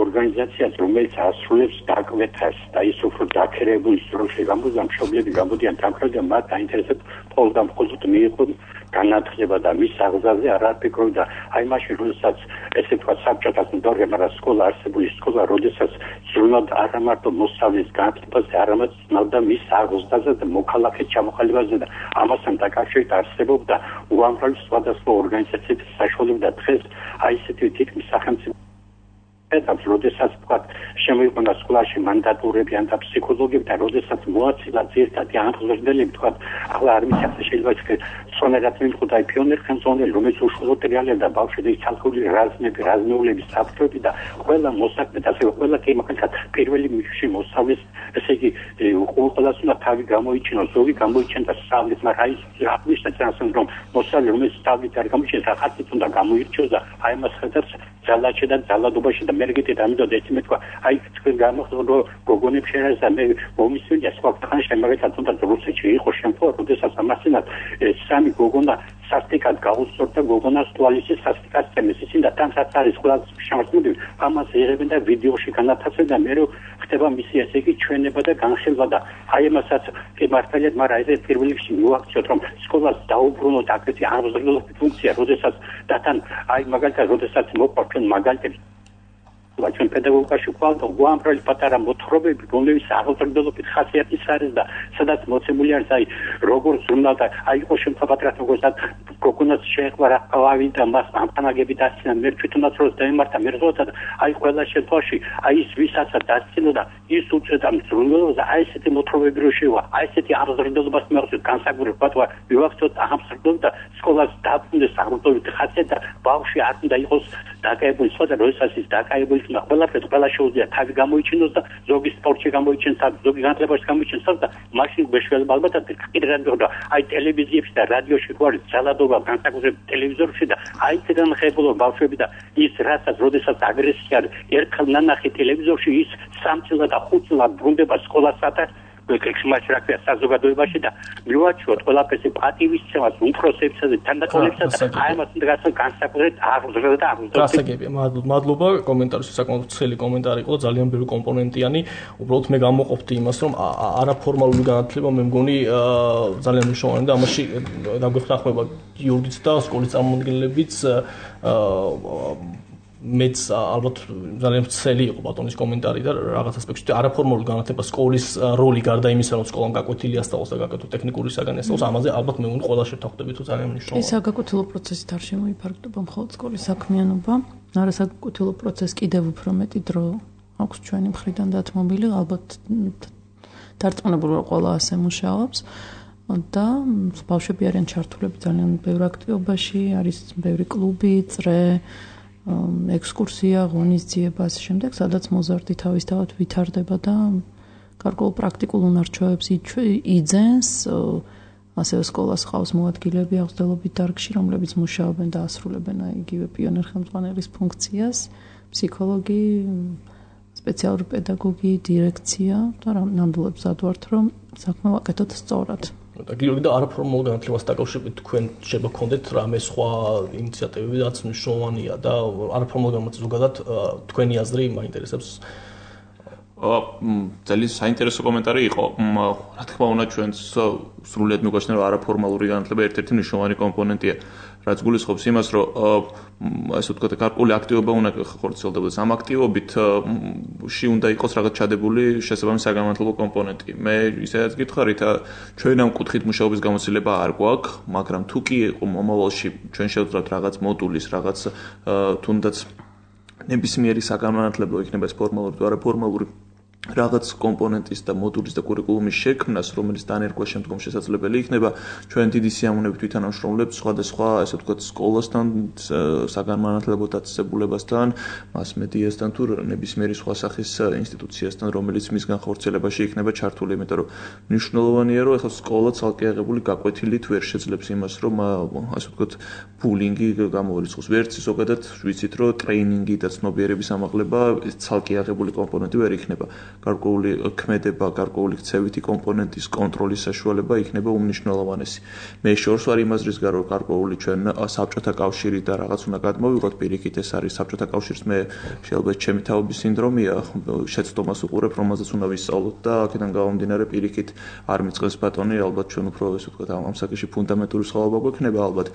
ორგანიზაციას, რომელიც ასრულებს დაკვეთას და ის უფრო დაქერებული სტრუქტურაში გამოდიან, მშობლები გამოდიან თანხმად და მათ აინტერესებს მხოლოდ და მხოლოდ მიიღონ განათლება და მის აღზრდაზე არ აფიქრონ და აი მაშინ როდესაც ესე თქვა საბჭოთა მდორე, მაგრამ სკოლა არსებული სკოლა, როდესაც ზრუნავდა არა მარტო მოსწავლის განათლებაზე, არამედ ზრუნავდა მის აღზრდაზე და მოქალაქე ჩამოყალიბებაზე და ამასთან დაკავშირებით არსებობდა უამრავი სხვადასხვა ორგანიზაციების საშუალება და დღეს აი ესეთი თითქმის სახელმწიფო ეტაპს, როდესაც თქვა შემოიყვანა სკოლაში მანდატურები ან და ფსიქოლოგები და როდესაც მოაცილა ძირითადი აღზრდელები თქვა, ახლა არ ვიცი შეიძლება სონერად მიყოდა პიონერ ხელმძღვანელი, რომელიც უშუალოდ რეალიზდა ბავშვების ცალკეული რაზმეულების საფრთხები და ყველა მოსაქმე და ასევე ყველა კემაკალად პირველი მიხში მოსავლის, ესე იგი ყველას უნდა თავი გამოიჩინოს, ზოგი გამოიჩენდა სწავლის, მაგრამ აი აღნიშნა წასთან რომ მოსავალი რომელიც სწავლით არ გამოიჩენს, ახალწლით უნდა გამოირჩიოს და აი მას ხედავს ძალაჩე და ძალადობაში და მერგეთი და ამიტომ ეს მეთქვა, აი თქვენ გამოხდო გოგონებს შენას და მე მომისვენია სხვა ხანში მაგალითად თუნდაც რუსეთში იყო შემთხვევა, როდესაც ამასინად სამი გოგონა სასტიკად გაუსწორდა გოგონას თვალისის სასტიკად წემეს ისინი და თანაც არის ყველა შემოწმებული ამას იღებენ და ვიდეოში განათავსებენ და მე ხდება მისი ესე იგი ჩვენება და განხილვა და აი ამასაც კი მართალია, მაგრამ ეს პირველ რიგში მოაქციოთ რომ სკოლას დაუბრუნოთ აგრეთვე აღზრდელობის ფუნქცია, როდესაც და თან აი მაგალითად როდესაც მოყვა ჩვენ მაგალითად ჩვენ პედაგოგიაში ყავდა უამრავი პატარა მოთხრობები, რომლებიც აღზრდელობით ხასიათის არის და სადაც მოცემული არის აი როგორ ზრუნავდა, აი იყო შემთხვევათ როგორც გოგონას შეეხვა რა ყავი და მას ამხანაგები დასცინა, მე თვითონაც რო დაემართა მერზოთა და აი ყველა შემთხვევაში აი ის ვისაც დასცინოდა ის უწევდა ზრუნველობას და აი ესეთი მოთხრობები რო შევა, აი ესეთი აღზრდელობას მიაღწევს განსაკუთრებულად ვივახცოთ აღზრდელობა და სკოლას დაბრუნდეს აღზრდელობით ხასიათი და ბავშვი არ უნდა იყოს დაკავებული, სხვა როდესაც ის დაკავებული ყველაფერს ყველა შეუძლია თავი გამოიჩინოს და ზოგი სპორტში გამოიჩენს, ზოგი განათლებაში გამოიჩენს და მაშინ ბეშველი ალბათად კიდე რა აი ტელევიზიებში და რადიოში ხო არის ძალადობა განსაკუთრებით ტელევიზორში და აი ციდან ხებულობ ბავშვები და ის რასაც როდესაც აგრესია ერთხელ ნანახი ტელევიზორში ის 3 წელად და 5 წელად ბრუნდება სკოლასთან იმას რა ქვია საზოგადოებაში და მივაჩვენოთ ყველაფერზე პატივისცემას უფროსებსა და თანდაყოლებსა და აი ამას დღეს განსაკუთრებით აღზრდა და აღზრდა. გასაგებია, მადლობა, კომენტარისთვის საკმაოდ ცხელი კომენტარი იყო, ძალიან ბევრი კომპონენტიანი. უბრალოდ მე გამოყოფდი იმას, რომ არაფორმალური განათლება მე მგონი ძალიან მნიშვნელოვანი და ამაში დაგვეხმარება გიორგიც და სკოლის წარმომადგენლებიც მეც ალბათ ძალიან მცელი იყო ბატონის კომენტარი და რაღაც ასპექტში არაფორმალური განათლება სკოლის როლი გარდა იმისა რომ სკოლამ გაკვეთილი ასწავლოს და გაკეთო ტექნიკური საგანი ასწავლოს ამაზე ალბათ მე უნდა ყველა შევთანხმდებით თუ ძალიან მნიშვნელოვანია. ეს საგაკეთილო პროცესით არ შემოიფარგლება მხოლოდ სკოლის საქმიანობა, არასაგაკეთილო პროცესს კიდევ უფრო მეტი დრო აქვს ჩვენი მხრიდან დათმობილი, ალბათ დარწმუნებული ვარ ყველა ასე მუშაობს და ბავშვები არიან ჩართულები ძალიან ბევრ აქტივობაში, არის ბევრი კლუბი, წრე ექსკურსია, ღონისძიება ასე შემდეგ, სადაც მოზარდი თავისთავად ვითარდება და გარკვეულ პრაქტიკულ უნარჩვევებს იძენს, ასევე სკოლას ყავს მოადგილეები აღზრდელობით დარგში, რომლებიც მუშაობენ და ასრულებენ იგივე პიონერ ხელმძღვანელის ფუნქციას, ფსიქოლოგი, სპეციალური პედაგოგი, დირექცია და ნამდვილად ვზადვართ, რომ საქმე ვაკეთოთ სწორად. და გიორგი და არაფორმალურ განათლებას დაკავშირებით თქვენ შეიძლება გქონდეთ რამე სხვა ინიციატივები, რაც მნიშვნელოვანია და არაფორმალურ განათლებას ზოგადად თქვენი აზრი მაინტერესებს. ძალიან საინტერესო კომენტარი იყო. რა თქმა უნდა, ჩვენს სრულიად მიგვაჩნია, რომ არაფორმალური განათლება ერთ-ერთი მნიშვნელოვანი კომპონენტია, რაც გულისხმობს იმას, რომ ასე ვთქვათ, გარკვეული აქტივობა უნდა ხორციელდებოდეს. ამ აქტივობით უნდა იყოს რაღაც ჩადებული შესაბამისი საგანმანათლებლო კომპონენტი. მე ისედაც გითხარით, ჩვენ ამ კუთხით მუშაობის გამოცდილება არ გვაქვს, მაგრამ თუ კი იყო მომავალში ჩვენ შევძლებთ რაღაც მოდულის, რაღაც თუნდაც ნებისმიერი საგანმანათლებლო იქნება ეს ფორმალური თუ არაფორმალური რაღაც კომპონენტის და მოდულის და კურიკულუმის შექმნას, რომელიც დანერგვა შემდგომ შესაძლებელი იქნება, ჩვენ დიდი სიამოვნებით ვითანამშრომლებთ სხვადასხვა, ასე ვთქვათ, სკოლასთან, საგანმანათლებლო დაწესებულებასთან, მასმედიასთან თუ ნებისმიერი სხვა სახის ინსტიტუციასთან, რომელიც მის განხორციელებაში იქნება ჩართული, იმიტომ რომ მნიშვნელოვანია, რომ ახლა სკოლა ცალკე აღებული გაკვეთილით ვერ შეძლებს იმას, რომ ასე ვთქვათ, ბულინგი გამოირიცხოს. ვერც ზოგადად ვიცით, რომ ტრეინინგი და ცნობიერების ამაღლება ცალკე აღებული კომპონენტი ვერ იქნება. გარკვეული ქმედება, გარკვეული ქცევითი კომპონენტის კონტროლის საშუალება იქნება უმნიშვნელოვანესი. მე შორს ვარ იმას რის გარო გარკვეული ჩვენ საბჭოთა კავშირი და რაღაც უნდა გადმოვიღოთ პირიქით ეს არის საბჭოთა კავშირის მე შეიძლება ჩემი თაობის სინდრომია, შეცდომას უყურებ, რომელზეც უნდა ვისწავლოთ და აქედან გამომდინარე პირიქით არ მიწყებს ბატონი, ალბათ ჩვენ უფრო ესე ვთქვათ ამ საკითხში ფუნდამენტური სხვაობა გვექნება ალბათ.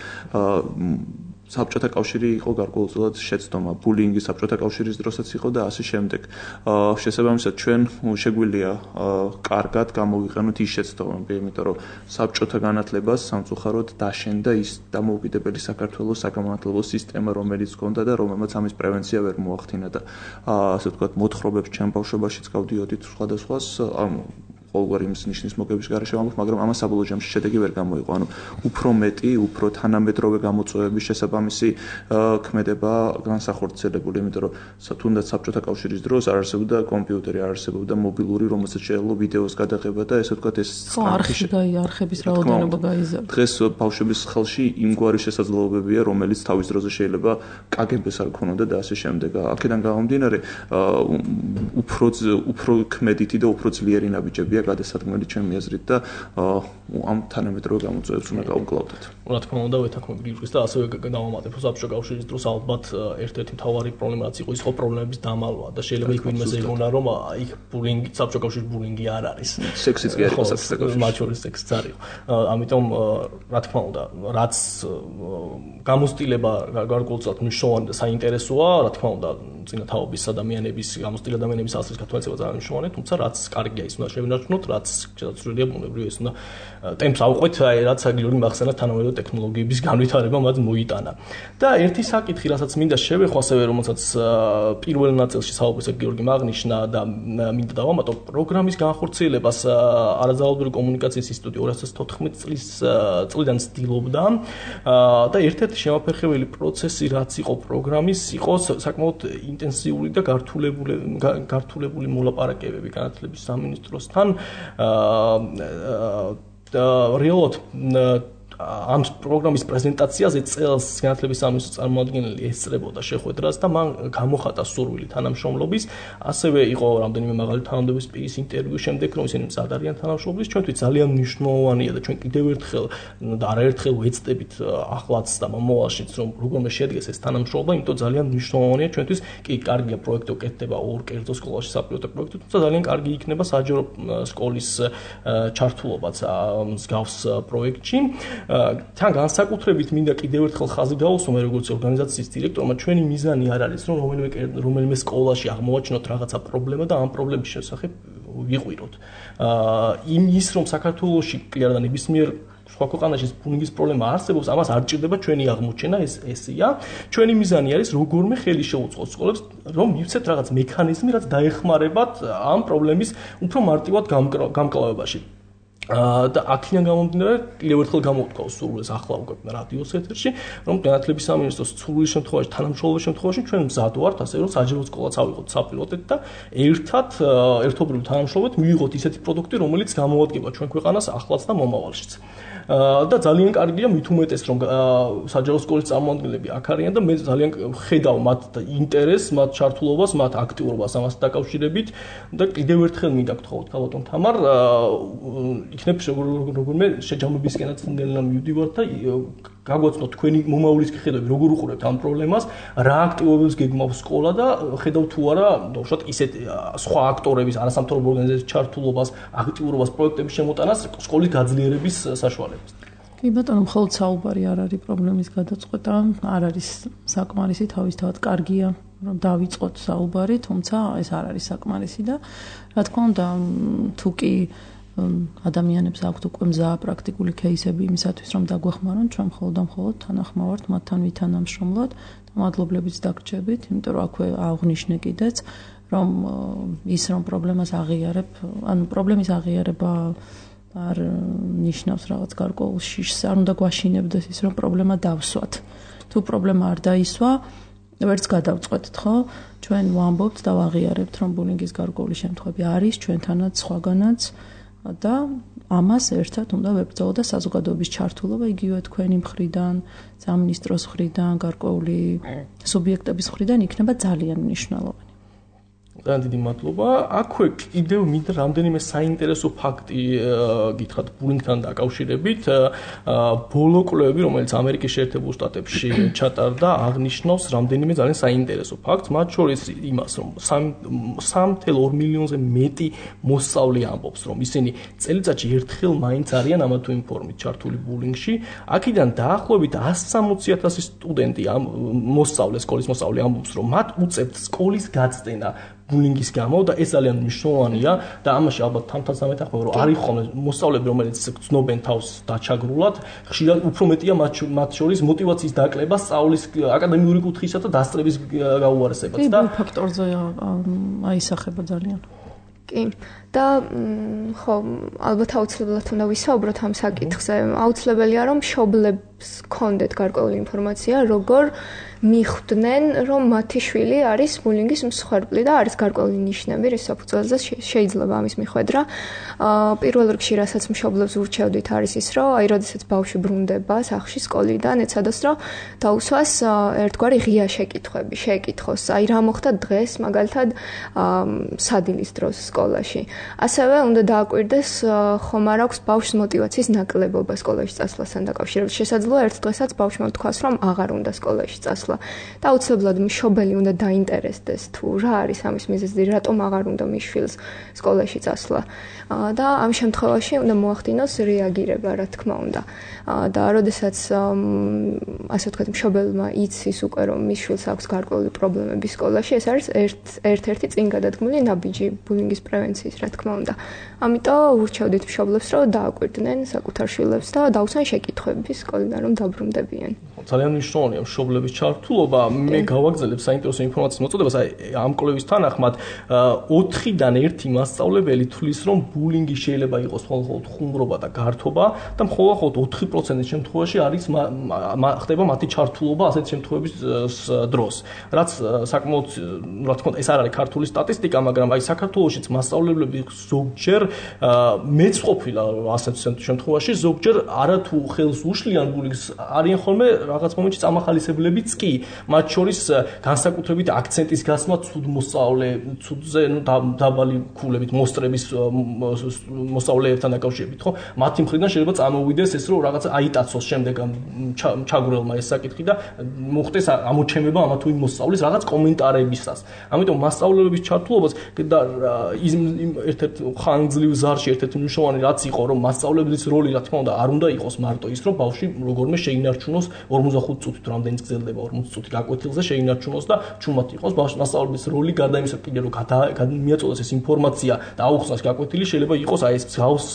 საბჭოთა კავშირი იყო გარკვეულწილად შეცდომა, ბულინგი საბჭოთა კავშირის დროსაც იყო და ასე შემდეგ. შესაბამისად ჩვენ შეგვიძლია კარგად გამოვიყენოთ ის შეცდომები, იმიტომ რომ საბჭოთა განათლებას სამწუხაროდ დაშენდა ის დამოუკიდებელი საქართველოს საგანმანათლებლო სისტემა, რომელიც ჰქონდა და რომელმაც ამის პრევენცია ვერ მოახდინა და ასე ვთქვათ მოთხრობებს ჩვენ ბავშვობაშიც გავდიოდით სხვადასხვას ყოველგვარი იმის ნიშნის მოგების გარეშე ვამბობ, მაგრამ ამას საბოლოო ჯამში შედეგი ვერ გამოიყო. ანუ უფრო მეტი, უფრო თანამედროვე გამოწვევების შესაბამისი ქმედება განსახორციელებული, იმიტომ რომ თუნდაც საბჭოთა კავშირის დროს არ არსებობდა კომპიუტერი, არ არსებობდა მობილური, რომელსაც შეიძლება ვიდეოს გადაღება და ესე ვთქვათ ეს არხების რაოდენობა გაიზარდა. დღეს ბავშვების ხელში იმგვარი შესაძლებლობებია, რომელიც თავის დროზე შეიძლება კგბ-ს არ ქონოდა და ასე შემდეგ. აქედან გამომდინარე, უფრო ქმედითი და უფრო ძლიერი ნაბიჯებია გადასადგმელი ჩემი აზრით და ამ თანამედროვე გამოწვევებს უნდა გავუკლავდეთ. რა თქმა უნდა, ვეთანხმები გიორგის და ასევე დავამატებ, რომ საბჭოთა კავშირის დროს ალბათ ერთ-ერთი მთავარი პრობლემა რაც იყო, ის იყო პრობლემების დამალვა და შეიძლება იქ ვინმეს ეგონა, რომ იქ ბულინგი, საბჭოთა კავშირის ბულინგი არ არის. სექსიც კი არ იყო საბჭოთა კავშირში. მათ შორის სექსიც არ იყო. ამიტომ რა თქმა უნდა, რაც გამოცდილება გარკვეულწილად მნიშვნელოვანი და საინტერესოა, რა თქმა უნდა, წინათაობის ადამიანების, გამოცდილი ადამიანების ასრის გათვალისწინება ძალიან მნიშვნელოვანია, თუმცა რაც კარგია ის უნდა შევინარჩუნოთ, რაც შესაძლებელია ბუნებრივი ეს უნდა ტემპს ავყვეთ, რაც გიორგი მახსენებს თანამედროვე ტექნოლოგიების განვითარება მათ მოიტანა. და ერთი საკითხი, რასაც მინდა შევეხო ასევე, რომელსაც პირველ ნაწილში საუბრისას გიორგი აღნიშნა და მინდა დავამატო, პროგრამის განხორციელებას არაძალადური კომუნიკაციის ინსტიტუტი 2014 წლიდან ცდილობდა და ერთ-ერთი შემაფერხებელი პროცესი, რაც იყო პროგრამის, იყო საკმაოდ ინტენსიური და გართულებული მოლაპარაკებები განათლების სამინისტროსთან. რეალურად ამ პროგრამის პრეზენტაციაზე წელს განათლების სამინისტროს წარმომადგენელი ესწრებოდა შეხვედრას და მან გამოხატა სურვილი თანამშრომლობის, ასევე იყო რამდენიმე მაღალი თანამდებობის პირის ინტერვიუ შემდეგ, რომ ისინი მზად არიან თანამშრომლობის. ჩვენთვის ძალიან მნიშვნელოვანია და ჩვენ კიდევ ერთხელ და არაერთხელ ვეცდებით ახლაც და მომავალშიც, რომ როგორმე შედგეს ეს თანამშრომლობა, იმიტომ ძალიან მნიშვნელოვანია ჩვენთვის კი კარგია პროექტი უკეთდება ორ კერძო სკოლაში საპილოტო პროექტი, თუმცა ძალიან კარგი იქნება საჯარო სკოლის ჩართულობაც მსგავს პროექტში. თან განსაკუთრებით მინდა კიდევ ერთხელ ხაზი გავუსვამ როგორც ორგანიზაციის დირექტორმა, ჩვენი მიზანი არ არის რომ რომელიმე სკოლაში აღმოვაჩინოთ რაღაცა პრობლემა და ამ პრობლემის შესახებ ვიყვიროთ. იმის რომ საქართველოში კი არა ნებისმიერ სხვა ქვეყანაში ბულინგის პრობლემა არსებობს, ამას არ ჭირდება ჩვენი აღმოჩენა, ესეა. ჩვენი მიზანი არის როგორმე ხელი შეუწყოს სკოლებს, რომ მივცეთ რაღაც მექანიზმი, რაც დაეხმარებათ ამ პრობლემის უფრო მარტივად გამკლავებაში. და აქედან გამომდინარე, კიდევ ერთხელ გამოვთქვა სურვილს ახლა უკვე რადიოს ეთერში, რომ განათლების სამინისტროს სურვილის შემთხვევაში, თანამშრომლობის შემთხვევაში ჩვენ მზად ვართ, ასე რომ საჯარო სკოლაც ავიღოთ საპილოტეთ და ერთობლივ თანამშრომლობთ მივიღოთ ისეთი პროდუქტი, რომელიც გამოადგება ჩვენ ქვეყანას ახლაც და მომავალშიც. და ძალიან კარგია მით უმეტეს რომ საჯარო სკოლის წარმომადგენლები აქ არიან და მე ძალიან ხედავ მათ ინტერესს, მათ ჩართულობას, მათ აქტიურობას ამასთან დაკავშირებით და კიდევ ერთხელ მინდა გთხოვოთ ქალბატონ თამარ იქნებ როგორმე შეჯამებისკენაც ნელ-ნელა მივდივართ და გაგვაცნოთ თქვენი მომავლის ხედვები როგორ უყურებთ ამ პრობლემას, რა აქტივობებს გეგმავს სკოლა და ხედავთ თუ არა უშუალოდ ისეთ სხვა აქტორების არასამთავრობო ორგანიზაციების ჩართულობას, აქტიურობას პროექტების შემოტანას სკოლის გაძლიერების საშუალებას. კი ბატონო, მხოლოდ საუბარი არ არის პრობლემის გადაწყვეტა, არ არის საკმარისი, თავისთავად კარგია რომ დავიწყოთ საუბარი, თუმცა ეს არ არის საკმარისი და რა თქმა უნდა თუ კი ადამიანებს აქვთ უკვე მზაა პრაქტიკული кейსები იმისათვის რომ დაგვეხმარონ, ჩვენ მხოლოდ თანახმოვართ მათთან ვითანამშრომლოთ და მადლობლებიც დაგრჩებით, იმიტომ რომ აქვე აღვნიშნე კიდეც რომ ის რომ პრობლემას აღიარებ, ანუ პრობლემის აღიარება არ ნიშნავს რაღაც გარკვეულ შიშს, არ უნდა გვაშინებდეს ის რომ პრობლემა დავსვათ. თუ პრობლემა არ დაისვა, ვერც გადავწყვეტთ, ხო? ჩვენ ვამბობთ და ვაღიარებთ რომ ბულინგის გარკვეული შემთხვევები არის ჩვენთანაც, სხვაგანაც და ამას ერთად უნდა ვებრძოლოთ და საზოგადოების ჩართულობა იგივე თქვენი მხრიდან, სამინისტროს მხრიდან, გარკვეული სუბიექტების მხრიდან იქნება ძალიან მნიშვნელოვანი. ძალიან დიდი მადლობა. აქვე კიდევ მინდა რამდენიმე საინტერესო ფაქტი გითხრათ ბულინგთან დაკავშირებით. ბოლო კვლევები, რომელიც ამერიკის შეერთებულ შტატებში ჩატარდა, აღნიშნავს რამდენიმე ძალიან საინტერესო ფაქტს, მათ შორის იმას, რომ 3.2 მილიონზე მეტი მოსწავლე ამბობს, რომ ისინი წელიწადში ერთხელ მაინც არიან ამა თუ იმ ფორმით ჩართული ბულინგში. აქედან დაახლოებით 160,000 სტუდენტი მოსწავლე, სკოლის მოსწავლე ამბობს, რომ მათ უწევთ სკოლის გაწდენა ბულინგის გამო და ეს ძალიან მნიშვნელოვანია და ამაში ალბათ თამთანს ამეთანხმება რომ არის ხოლმე მოსწავლეები რომელიც გრძნობენ თავს დაჩაგრულად, ხშირად უფრო მეტია მათ შორის მოტივაციის დაკლება სწავლის აკადემიური კუთხისა და დასწრების გაუარესებაც და ფაქტორზე აისახება ძალიან. კი და ხო ალბათ აუცილებლად უნდა ვისაუბროთ ამ საკითხზე. აუცილებელია რომ მშობლებს გქონდეთ გარკვეული ინფორმაცია როგორ მიხვდნენ რომ მათი შვილი არის ბულინგის მსხვერპლი და არის გარკვეული ნიშნები რის საფუძველზე შეიძლება ამის მიხვედრა. პირველ რიგში რასაც მშობლებს ურჩევდით არის ის რომ აი როდესაც ბავშვი ბრუნდება სახლში სკოლიდან ეცადოს რომ დაუსვას ერთგვარი ღია შეკითხვები, შეეკითხოს აი რა მოხდა დღეს მაგალითად სადილის დროს სკოლაში. ასევე უნდა დააკვირდეს ხომ არ აქვს ბავშვს მოტივაციის ნაკლებობა სკოლაში წასვლასთან დაკავშირებით. შესაძლოა ერთ დღესაც ბავშვმა თქვას რომ აღარ უნდა სკოლაში წასვლა. და აუცილებლად მშობელი უნდა დაინტერესდეს თუ რა არის ამის მიზეზი, რატომ აღარ უნდა მის შვილს სკოლაში წასვლა. და ამ შემთხვევაში უნდა მოახდინოს რეაგირება, რა თქმა უნდა. და როდესაც ასე ვთქვათ, მშობელმა იცის უკვე რომ მის შვილს აქვს გარკვეული პრობლემები სკოლაში, ეს არის ერთ-ერთი წინ გადადგმული ნაბიჯი ბულინგის პრევენციის, რა თქმა უნდა. ამიტომ ურჩევდით მშობლებს რომ დააკვირდნენ საკუთარ შვილებს და დაუსვან შეკითხვები სკოლიდან იქნა რომ დაბრუნდებიან. ძალიან მნიშვნელოვანია მშობლების ჩართულობა. მე გავაგზავნებ საინტერესო ინფორმაციის მოწოდებას, ამ კვლევის თანახმად 4-დან 1 მასწავლებელი თვლის, რომ ბულინგი შეიძლება იყოს მხოლოდ ხუმრობა და გართობა და მხოლოდ 4%-ის შემთხვევაში არის ხდება მათი ჩართულობა ასეთი შემთხვევების დროს. რაც საკმაოდ, რა თქმა უნდა, ეს არ არის ქართული სტატისტიკა, მაგრამ აი საქართველოშიც მასწავლებლები ზოგჯერ მეც ყოფილა ასეთ შემთხვევაში, ზოგჯერ არათუ ხელს უშლიან ბულინგს, არიან ხოლმე რაღაც მომენტში წამახალისებლებიც კი, მათ შორის განსაკუთრებით აქცენტის გასმა ცუდ მოსწავლე, ცუდზე დაბალი ქულებით მოსწრების მოსწავლეებთან დაკავშირებით, ხო? მათი მხრიდან შეიძლება წამოვიდეს ეს, რომ რაღაცა აიტაცოს შემდეგ ჩაგვრელმა ეს საკითხი და მოხდეს ამოჩემება ამა თუ იმ მოსწავლის რაღაც კომენტარებისას. ამიტომ მასწავლებლების ჩართულობას და ერთ-ერთ ხანგრძლივ ზარში ერთ-ერთი მნიშვნელოვანი რაც იყო, რომ მასწავლებლის როლი, რა თქმა უნდა, არ უნდა იყოს მარტო ის, რომ ბავშვი როგორმე შეინარჩუნოს 45 წუთით, რამდენიც გრძელდება 40 წუთი გაკვეთილზე შეინარჩუნოს და ჩუმად იყოს მასწავლებლის როლი გარდა იმისა, კიდე რომ მიაწოდოს ეს ინფორმაცია და აუხსნას გაკვეთილი, შეიძლება იყოს აი ეს მსგავს,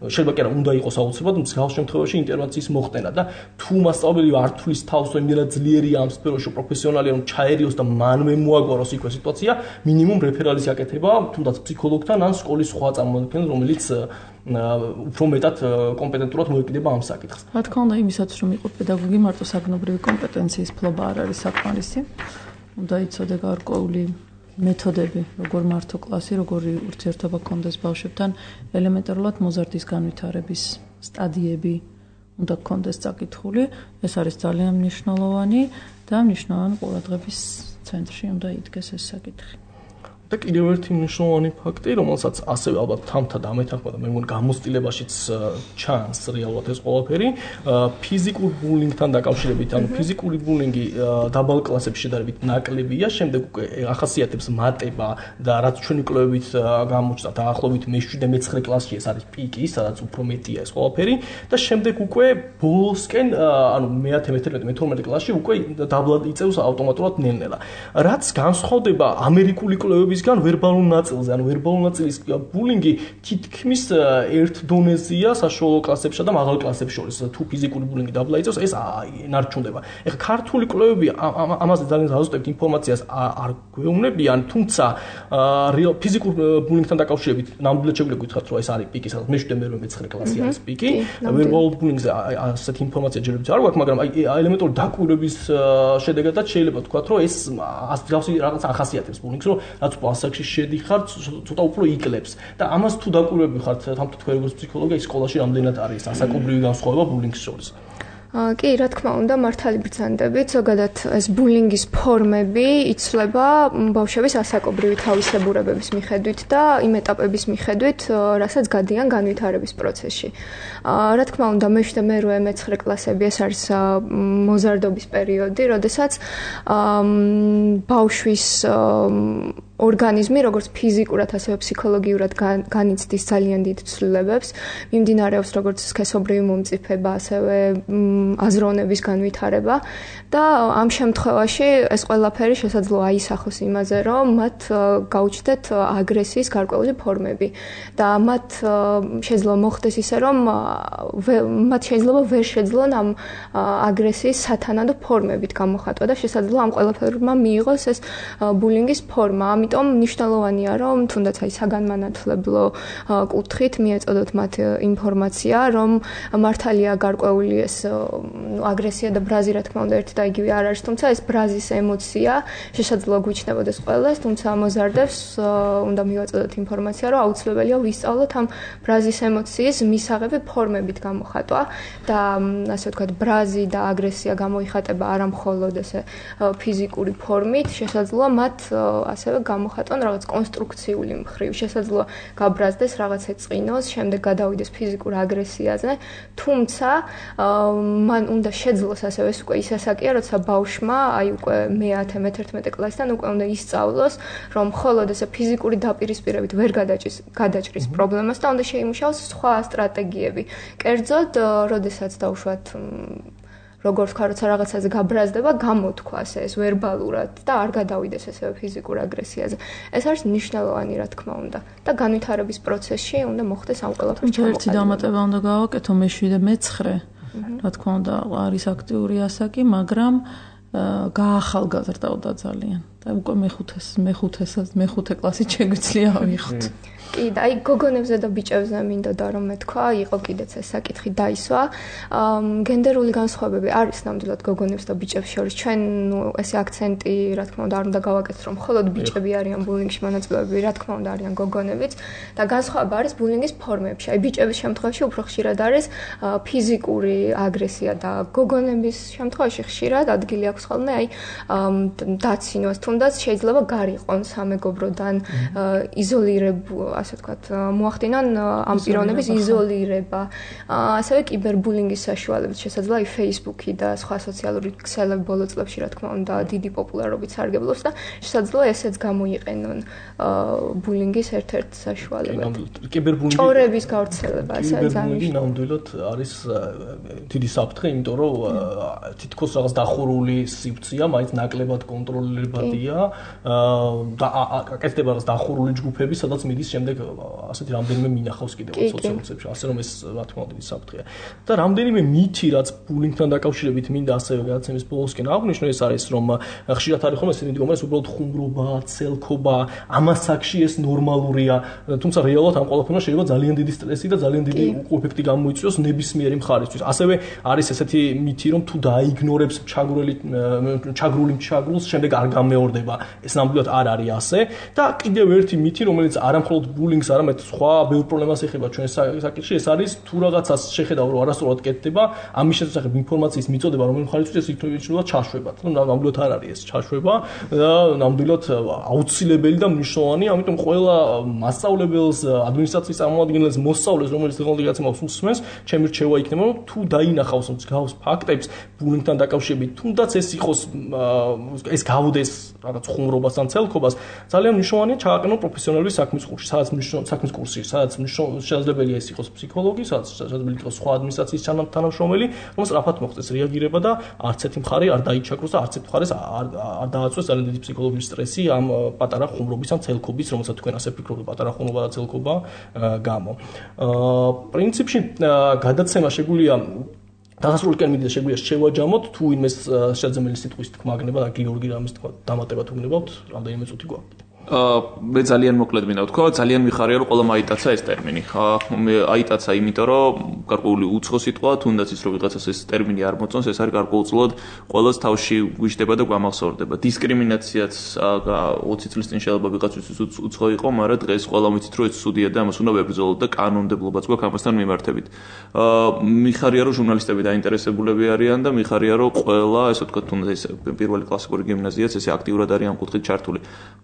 შეიძლება კი არა, უნდა იყოს აუცილებლად მსგავს შემთხვევაში ინტერვენციის მოხდენა და თუ მასწავლებელი არ თulis თავს, რომ იმდენად ძლიერია ამ სფეროში პროფესიონალია, რომ ჩაერიოს და მანვე მოაგვაროს იქვე სიტუაცია, მინიმუმ რეფერალის აკეთება თუნდაც ფსიქოლოგთან ან სკოლის სხვა წარმომადგენელს, რომელიც უფრო მეტად კომპეტენტურად მოეკიდება ამ საკითხს. რა თქმა უნდა, იმისაც რომ იყო პედაგოგი, მარტო საგნობრივი კომპეტენციის ფლობა არ არის საკმარისი. უნდა იცოდე გარკვეული მეთოდები, როგორ მართო კლასი, როგორი ურთიერთობა გქონდეს ბავშვებთან, ელემენტარულად მოზარდის განვითარების სტადიები უნდა გქონდეს წაკითხული. ეს არის ძალიან მნიშვნელოვანი და მნიშვნელოვანი ყურადღების ცენტრში უნდა იდგეს ეს საკითხი. და კიდევ ერთი მნიშვნელოვანი ფაქტი, რომელსაც ასევე ალბათ თამთა დამეთანხმდა და მე მგონი გამოცდილებაშიც ჩანს რეალურად ეს ყველაფერი, ფიზიკურ ბულინგთან დაკავშირებით, ანუ ფიზიკური ბულინგი დაბალ კლასებში შედარებით ნაკლებია, შემდეგ უკვე ახასიათებს მატება და რაც ჩვენი კვლევებით გამოჩნდა დაახლოებით მე-7-მე-9 კლასში ეს არის პიკი, სადაც უფრო მეტია ეს ყველაფერი და შემდეგ უკვე ბოლოსკენ, ანუ მე-11-მე-12 კლასში უკვე დაბლად იწევს ავტომატურად ნელ-ნელა. რაც განსხვავდება ამერიკული კვლევების ვერბალულ ნაწილზე, ანუ ვერბალურ ნაწილის ბულინგი თითქმის ერთ დონეზეა საშუალო კლასებსა და მაღალ კლასებს შორის. თუ ფიზიკური ბულინგი დაბლა იწევს, ეს ინარჩუნდება. ეხლა ქართული კვლევები ამაზე ძალიან ზუსტად ინფორმაციას არ გვეუბნებიან, თუმცა ფიზიკურ ბულინგთან დაკავშირებით ნამდვილად შეგვიძლია გითხრათ, რომ ეს არის პიკი, სადაც მე-7-მე-9 კლასი არის პიკი. ვერბალურ ბულინგზე ასეთი ინფორმაცია ჯერჯერობით არ გვაქვს, მაგრამ აი ელემენტური დაკვირვების შედეგადაც შეიძლება ვთქვათ, რომ ეს რაღაც ახასიათებს ბულინგს, რომ რაც ასაკში შედიხარ, ცოტა უფრო იკლებს და ამას თუ დაკვირვები ხართ, თამთა თქვენ როგორც ფსიქოლოგი, სკოლაში რამდენად არის ასაკობრივი განსხვავება ბულინგის შორის? კი, რა თქმა უნდა, მართალი ბრძანდებით, ზოგადად ეს ბულინგის ფორმები იცვლება ბავშვების ასაკობრივი თავისებურებების მიხედვით და იმ ეტაპების მიხედვით, რასაც გადიან განვითარების პროცესში. რა თქმა უნდა, მე-7-მე-9 კლასები ეს არის მოზარდობის პერიოდი, როდესაც ბავშვის ორგანიზმი, როგორც ფიზიკურად, ასევე ფსიქოლოგიურად განიცდის ძალიან დიდ ცვლილებებს, მიმდინარეობს როგორც სქესობრივი მომწიფება, ასევე აზროვნების განვითარება და ამ შემთხვევაში ეს ყველაფერი შესაძლოა აისახოს იმაზე, რომ მათ გაუჩნდეთ აგრესიის გარკვეული ფორმები და მათ შეიძლება მოხდეს ისე, რომ მათ შეიძლება ვერ შეძლონ ამ აგრესიის სათანადო ფორმებით გამოხატვა და შესაძლოა ამ ყველაფერმა მიიღოს ეს ბულინგის ფორმა. ამიტომ მნიშვნელოვანია, რომ თუნდაც აი საგანმანათლებლო კუთხით მიეწოდოთ მათ ინფორმაცია, რომ მართალია გარკვეული ეს აგრესია და ბრაზი, რა თქმა უნდა, ერთი და იგივე არ არის, თუმცა ეს ბრაზის ემოცია შესაძლოა გვიჩნდებოდეს ყველას, თუმცა მოზარდებს უნდა მივაწოდოთ ინფორმაცია, რომ აუცილებელია ვისწავლოთ ამ ბრაზის ემოციის მისაღები ფორმებით გამოხატვა და ასე ვთქვათ, ბრაზი და აგრესია გამოიხატება არა მხოლოდ ესე ფიზიკური ფორმით, შესაძლოა მათ ასევე გამოხატონ რაღაც კონსტრუქციული მხრივ, შესაძლოა გაბრაზდეს რაღაც ეწყინოს, შემდეგ გადავიდეს ფიზიკურ აგრესიაზე, თუმცა მან უნდა შეძლოს ასევე ეს უკვე ის ასაკია, როცა ბავშვმა აი უკვე მე-10-მე-11 კლასიდან უკვე უნდა ისწავლოს, რომ მხოლოდ ესე ფიზიკური დაპირისპირებით ვერ გადაჭრის პრობლემას და უნდა შეიმუშაოს სხვა სტრატეგიები. კერძოდ, როდესაც დავუშვათ როგორ ვთქვა, როცა რაღაცაზე გაბრაზდება, გამოთქვას ეს ვერბალურად და არ გადავიდეს ესე ფიზიკურ აგრესიაზე. ეს არის მნიშვნელოვანი, რა თქმა უნდა. და განვითარების პროცესში უნდა მოხდეს ამ ყველაფერს ჩამოყალიბება. ერთი დამატება უნდა გავაკეთო მე-7-მე-9 რა თქმა უნდა, არის აქტიური ასაკი, მაგრამ გაახალგაზრდავდა ძალიან და უკვე მეხუთე კლასით შეგვიძლია ავიღოთ. კი, და აი გოგონებზე და ბიჭებზე მინდოდა რომ მეთქვა, იყო კიდეც ეს საკითხი დაისვა. გენდერული განსხვავებები არის ნამდვილად გოგონებს და ბიჭებს შორის. ჩვენ ესე აქცენტი, რა თქმა უნდა, არ უნდა გავაკეთოთ, რომ მხოლოდ ბიჭები არიან ბულინგში მონაწილეები, რა თქმა უნდა, არიან გოგონებიც და განსხვავება არის ბულინგის ფორმებში. აი ბიჭების შემთხვევაში უფრო ხშირად არის ფიზიკური აგრესია და გოგონების შემთხვევაში ხშირად ადგილი აქვს ხოლმე აი დაცინვას, თუნდაც შეიძლება გარიყონ სამეგობროდან ასე ვთქვათ, მოახდინონ ამ პიროვნების იზოლირება. ასევე კიბერბულინგის საშუალებით შესაძლოა აი Facebook-ი და სხვა სოციალური ქსელები ბოლო წლებში, რა თქმა უნდა, დიდი პოპულარობით სარგებლობს და შესაძლოა ესეც გამოიყენონ ბულინგის ერთ-ერთ საშუალებად. კიბერბულინგი ჭორების გავრცელება, ასე კიბერბულინგი ნამდვილად არის დიდი საფრთხე, იმიტომ რომ თითქოს რაღაც დახურული სივრცეა, მაინც ნაკლებად კონტროლირებადია და აკეთდება რაღაც დახურული ჯგუფები, სადაც მიდის შემდეგ ასეთი რამდენიმე მინახავს კიდევ სოციალურ ასე რომ ეს რა თქმა უნდა საფრთხეა. და რამდენიმე მითი რაც ბულინგთან დაკავშირებით მინდა ასევე გადაცემის ბოლოსკენ აღვნიშნო ეს არის რომ ხშირად არის ხოლმე ესეთი მდგომარეობა უბრალოდ ხუმრობა, ცელქობა, ამასაკში ეს ნორმალურია, თუმცა რეალურად ამ ყველაფერმა შეიძლება ძალიან დიდი სტრესი და ძალიან დიდი უკუეფექტი გამოიწვიოს ნებისმიერი მხარისთვის. ასევე არის ესეთი მითი რომ თუ დაიგნორებს ჩაგრული მჩაგრულს, შემდეგ არ გამეორდება. ეს ნამდვილად არ არის ასე და კიდევ ერთი მითი რომელიც არამხოლოდ ბულინგს, არამედ სხვა ბევრ პრობლემას ეხება ჩვენ საკითხში, ეს არის თუ რაღაცას შეხედავ რომ არასწორად კეთდება, ამის შესახებ ინფორმაციის მიწოდება რომ მხარისთვის ეს იქნება ჩაშვება. ნამდვილად არ არის ეს ჩაშვება და ნამდვილად აუცილებელი და მნიშვნელოვანი, ამიტომ ყველა მასწავლებელს, ადმინისტრაციის წარმომადგენელს, მოსწავლეს, რომელიც დღევანდელ გაცემას უსმენს, ჩემი რჩევა იქნება რომ თუ დაინახავს მსგავს ფაქტებს ბულინგთან დაკავშირებით, თუნდაც ეს იყოს ეს გავუდეს რაღაც ხუმრობას ან ცელქობას, ძალიან მნიშვნელოვანია ჩააყენო პროფესიონალური საქმის კურსი, საქმის კურსი, სადაც შესაძლებელია ეს იყოს ფსიქოლოგი, სადაც შესაძლებელია იყოს სხვა ადმინისტრაციის თანამშრომელი, რომ სწრაფად მოხდეს რეაგირება და არც ერთი მხარე არ დაიჩაგროს და არც ერთ მხარეს არ დააწვეს ძალიან დიდი ფსიქოლოგიური სტრესი ამ პატარა ხუმრობის ან ცელქობის, რომელსაც თქვენ ასე ფიქრობთ, პატარა ხუმრობა და ცელქობა გამო. პრინციპში გადაცემა შეგვიძლია დასასრულისკენ მიდიდეს შეგვიძლია შევაჯამოთ თუ იმეს შესაძლებელი სიტყვის თქმა გნება და გიორგი რამის თქმა დამატება თუ გნებავთ, რამდენიმე წუთი გვაქვს. მე ძალიან მოკლედ მინდა ვთქვა, ძალიან მიხარია რომ ყველა აიტაცა ეს ტერმინი. მე აიტაცა იმიტომ რომ გარკვეული უცხო სიტყვა, თუნდაც ის რომ ვიღაცას ეს ტერმინი არ მოწონს, ეს არის გარკვეულწილად ყოველს თავში გვიждდება და გვამახსოვრდება. დისკრიმინაციაც 20 წლის წინ შეიძლება ვიღაცისთვის უცხო იყო, მაგრამ დღეს ყველა ვიცით რომ ეს ცუდია და ამას უნდა ვებრძოლოთ და კანონმდებლობაც გვაქვს ამასთან მიმართებით. მიხარია რომ ჟურნალისტები დაინტერესებულები არიან და მიხარია რომ ყველა, ესე ვთქვათ, თუნდაც ეს პირველი კლასიკური გიმნაზიაც ესე აქტიურად არის ამ კუთხით ჩართული.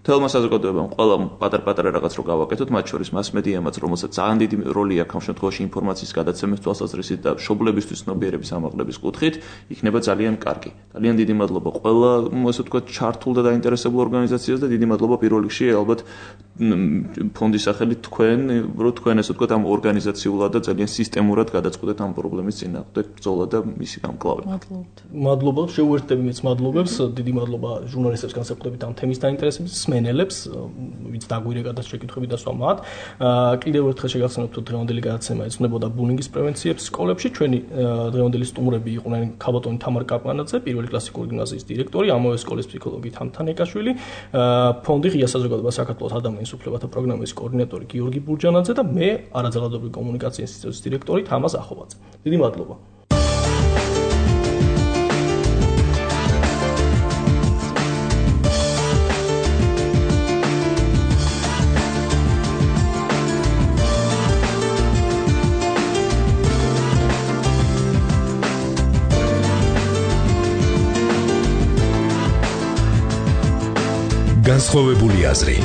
თელმა საზოგადოებამ ყველა პატარ-პატარა რაღაც რო გავაკეთოთ, მათ შორის მასმედიამაც, რომელსაც ძალიან დიდი როლი აქვს ამ შემთხვევაში ინფორმაციის გადაცემის თვალსაზრისით და მშობლებისთვის ცნობიერების ამაღლების კუთხით, იქნება ძალიან კარგი. ძალიან დიდი მადლობა ყველა, ასე ვთქვათ, ჩართულ და დაინტერესებულ ორგანიზაციას და დიდი მადლობა პირველ რიგში ალბათ ფონდის სახელით თქვენ, რომ თქვენ ასე ვთქვათ, ამ ორგანიზაციულად და ძალიან სისტემურად გადაწყვეტეთ ამ პრობლემის წინააღმდეგ ბრძოლა და მისი გამკლავება. მადლობა, შეუერთდები მეც მადლობებს, დიდი მადლობა ჟურნალისტებს განსაკუთრებით ამ თემის დაინტერესების მსმენელებს, ვინც დაგვირეკა და შეკითხვები დასვა მათ. კიდევ ერთხელ შეგახსენებთ, რომ დღევანდელი გადაცემა ეძღვნებოდა ბულინგის პრევენციებს სკოლებში. ჩვენი დღევანდელი სტუმრები იყვნენ ქაბატონი თამარ კაპლანაძე, პირველი კლასიკური გიმნაზიის დირექტორი, ამავე სკოლის ფსიქოლოგი თამთან ეკაშვილი, ფონდი ღია საზოგადოება საქართველოს ადამიანის უფლებათა პროგრამის კოორდინატორი გიორგი ბურჯანაძე და მე არაძალადობრივი კომუნიკაციის ინსტიტუტის დირექტორი თამაზ ახობაძე. დიდი მადლობა. განსხვავებული აზრი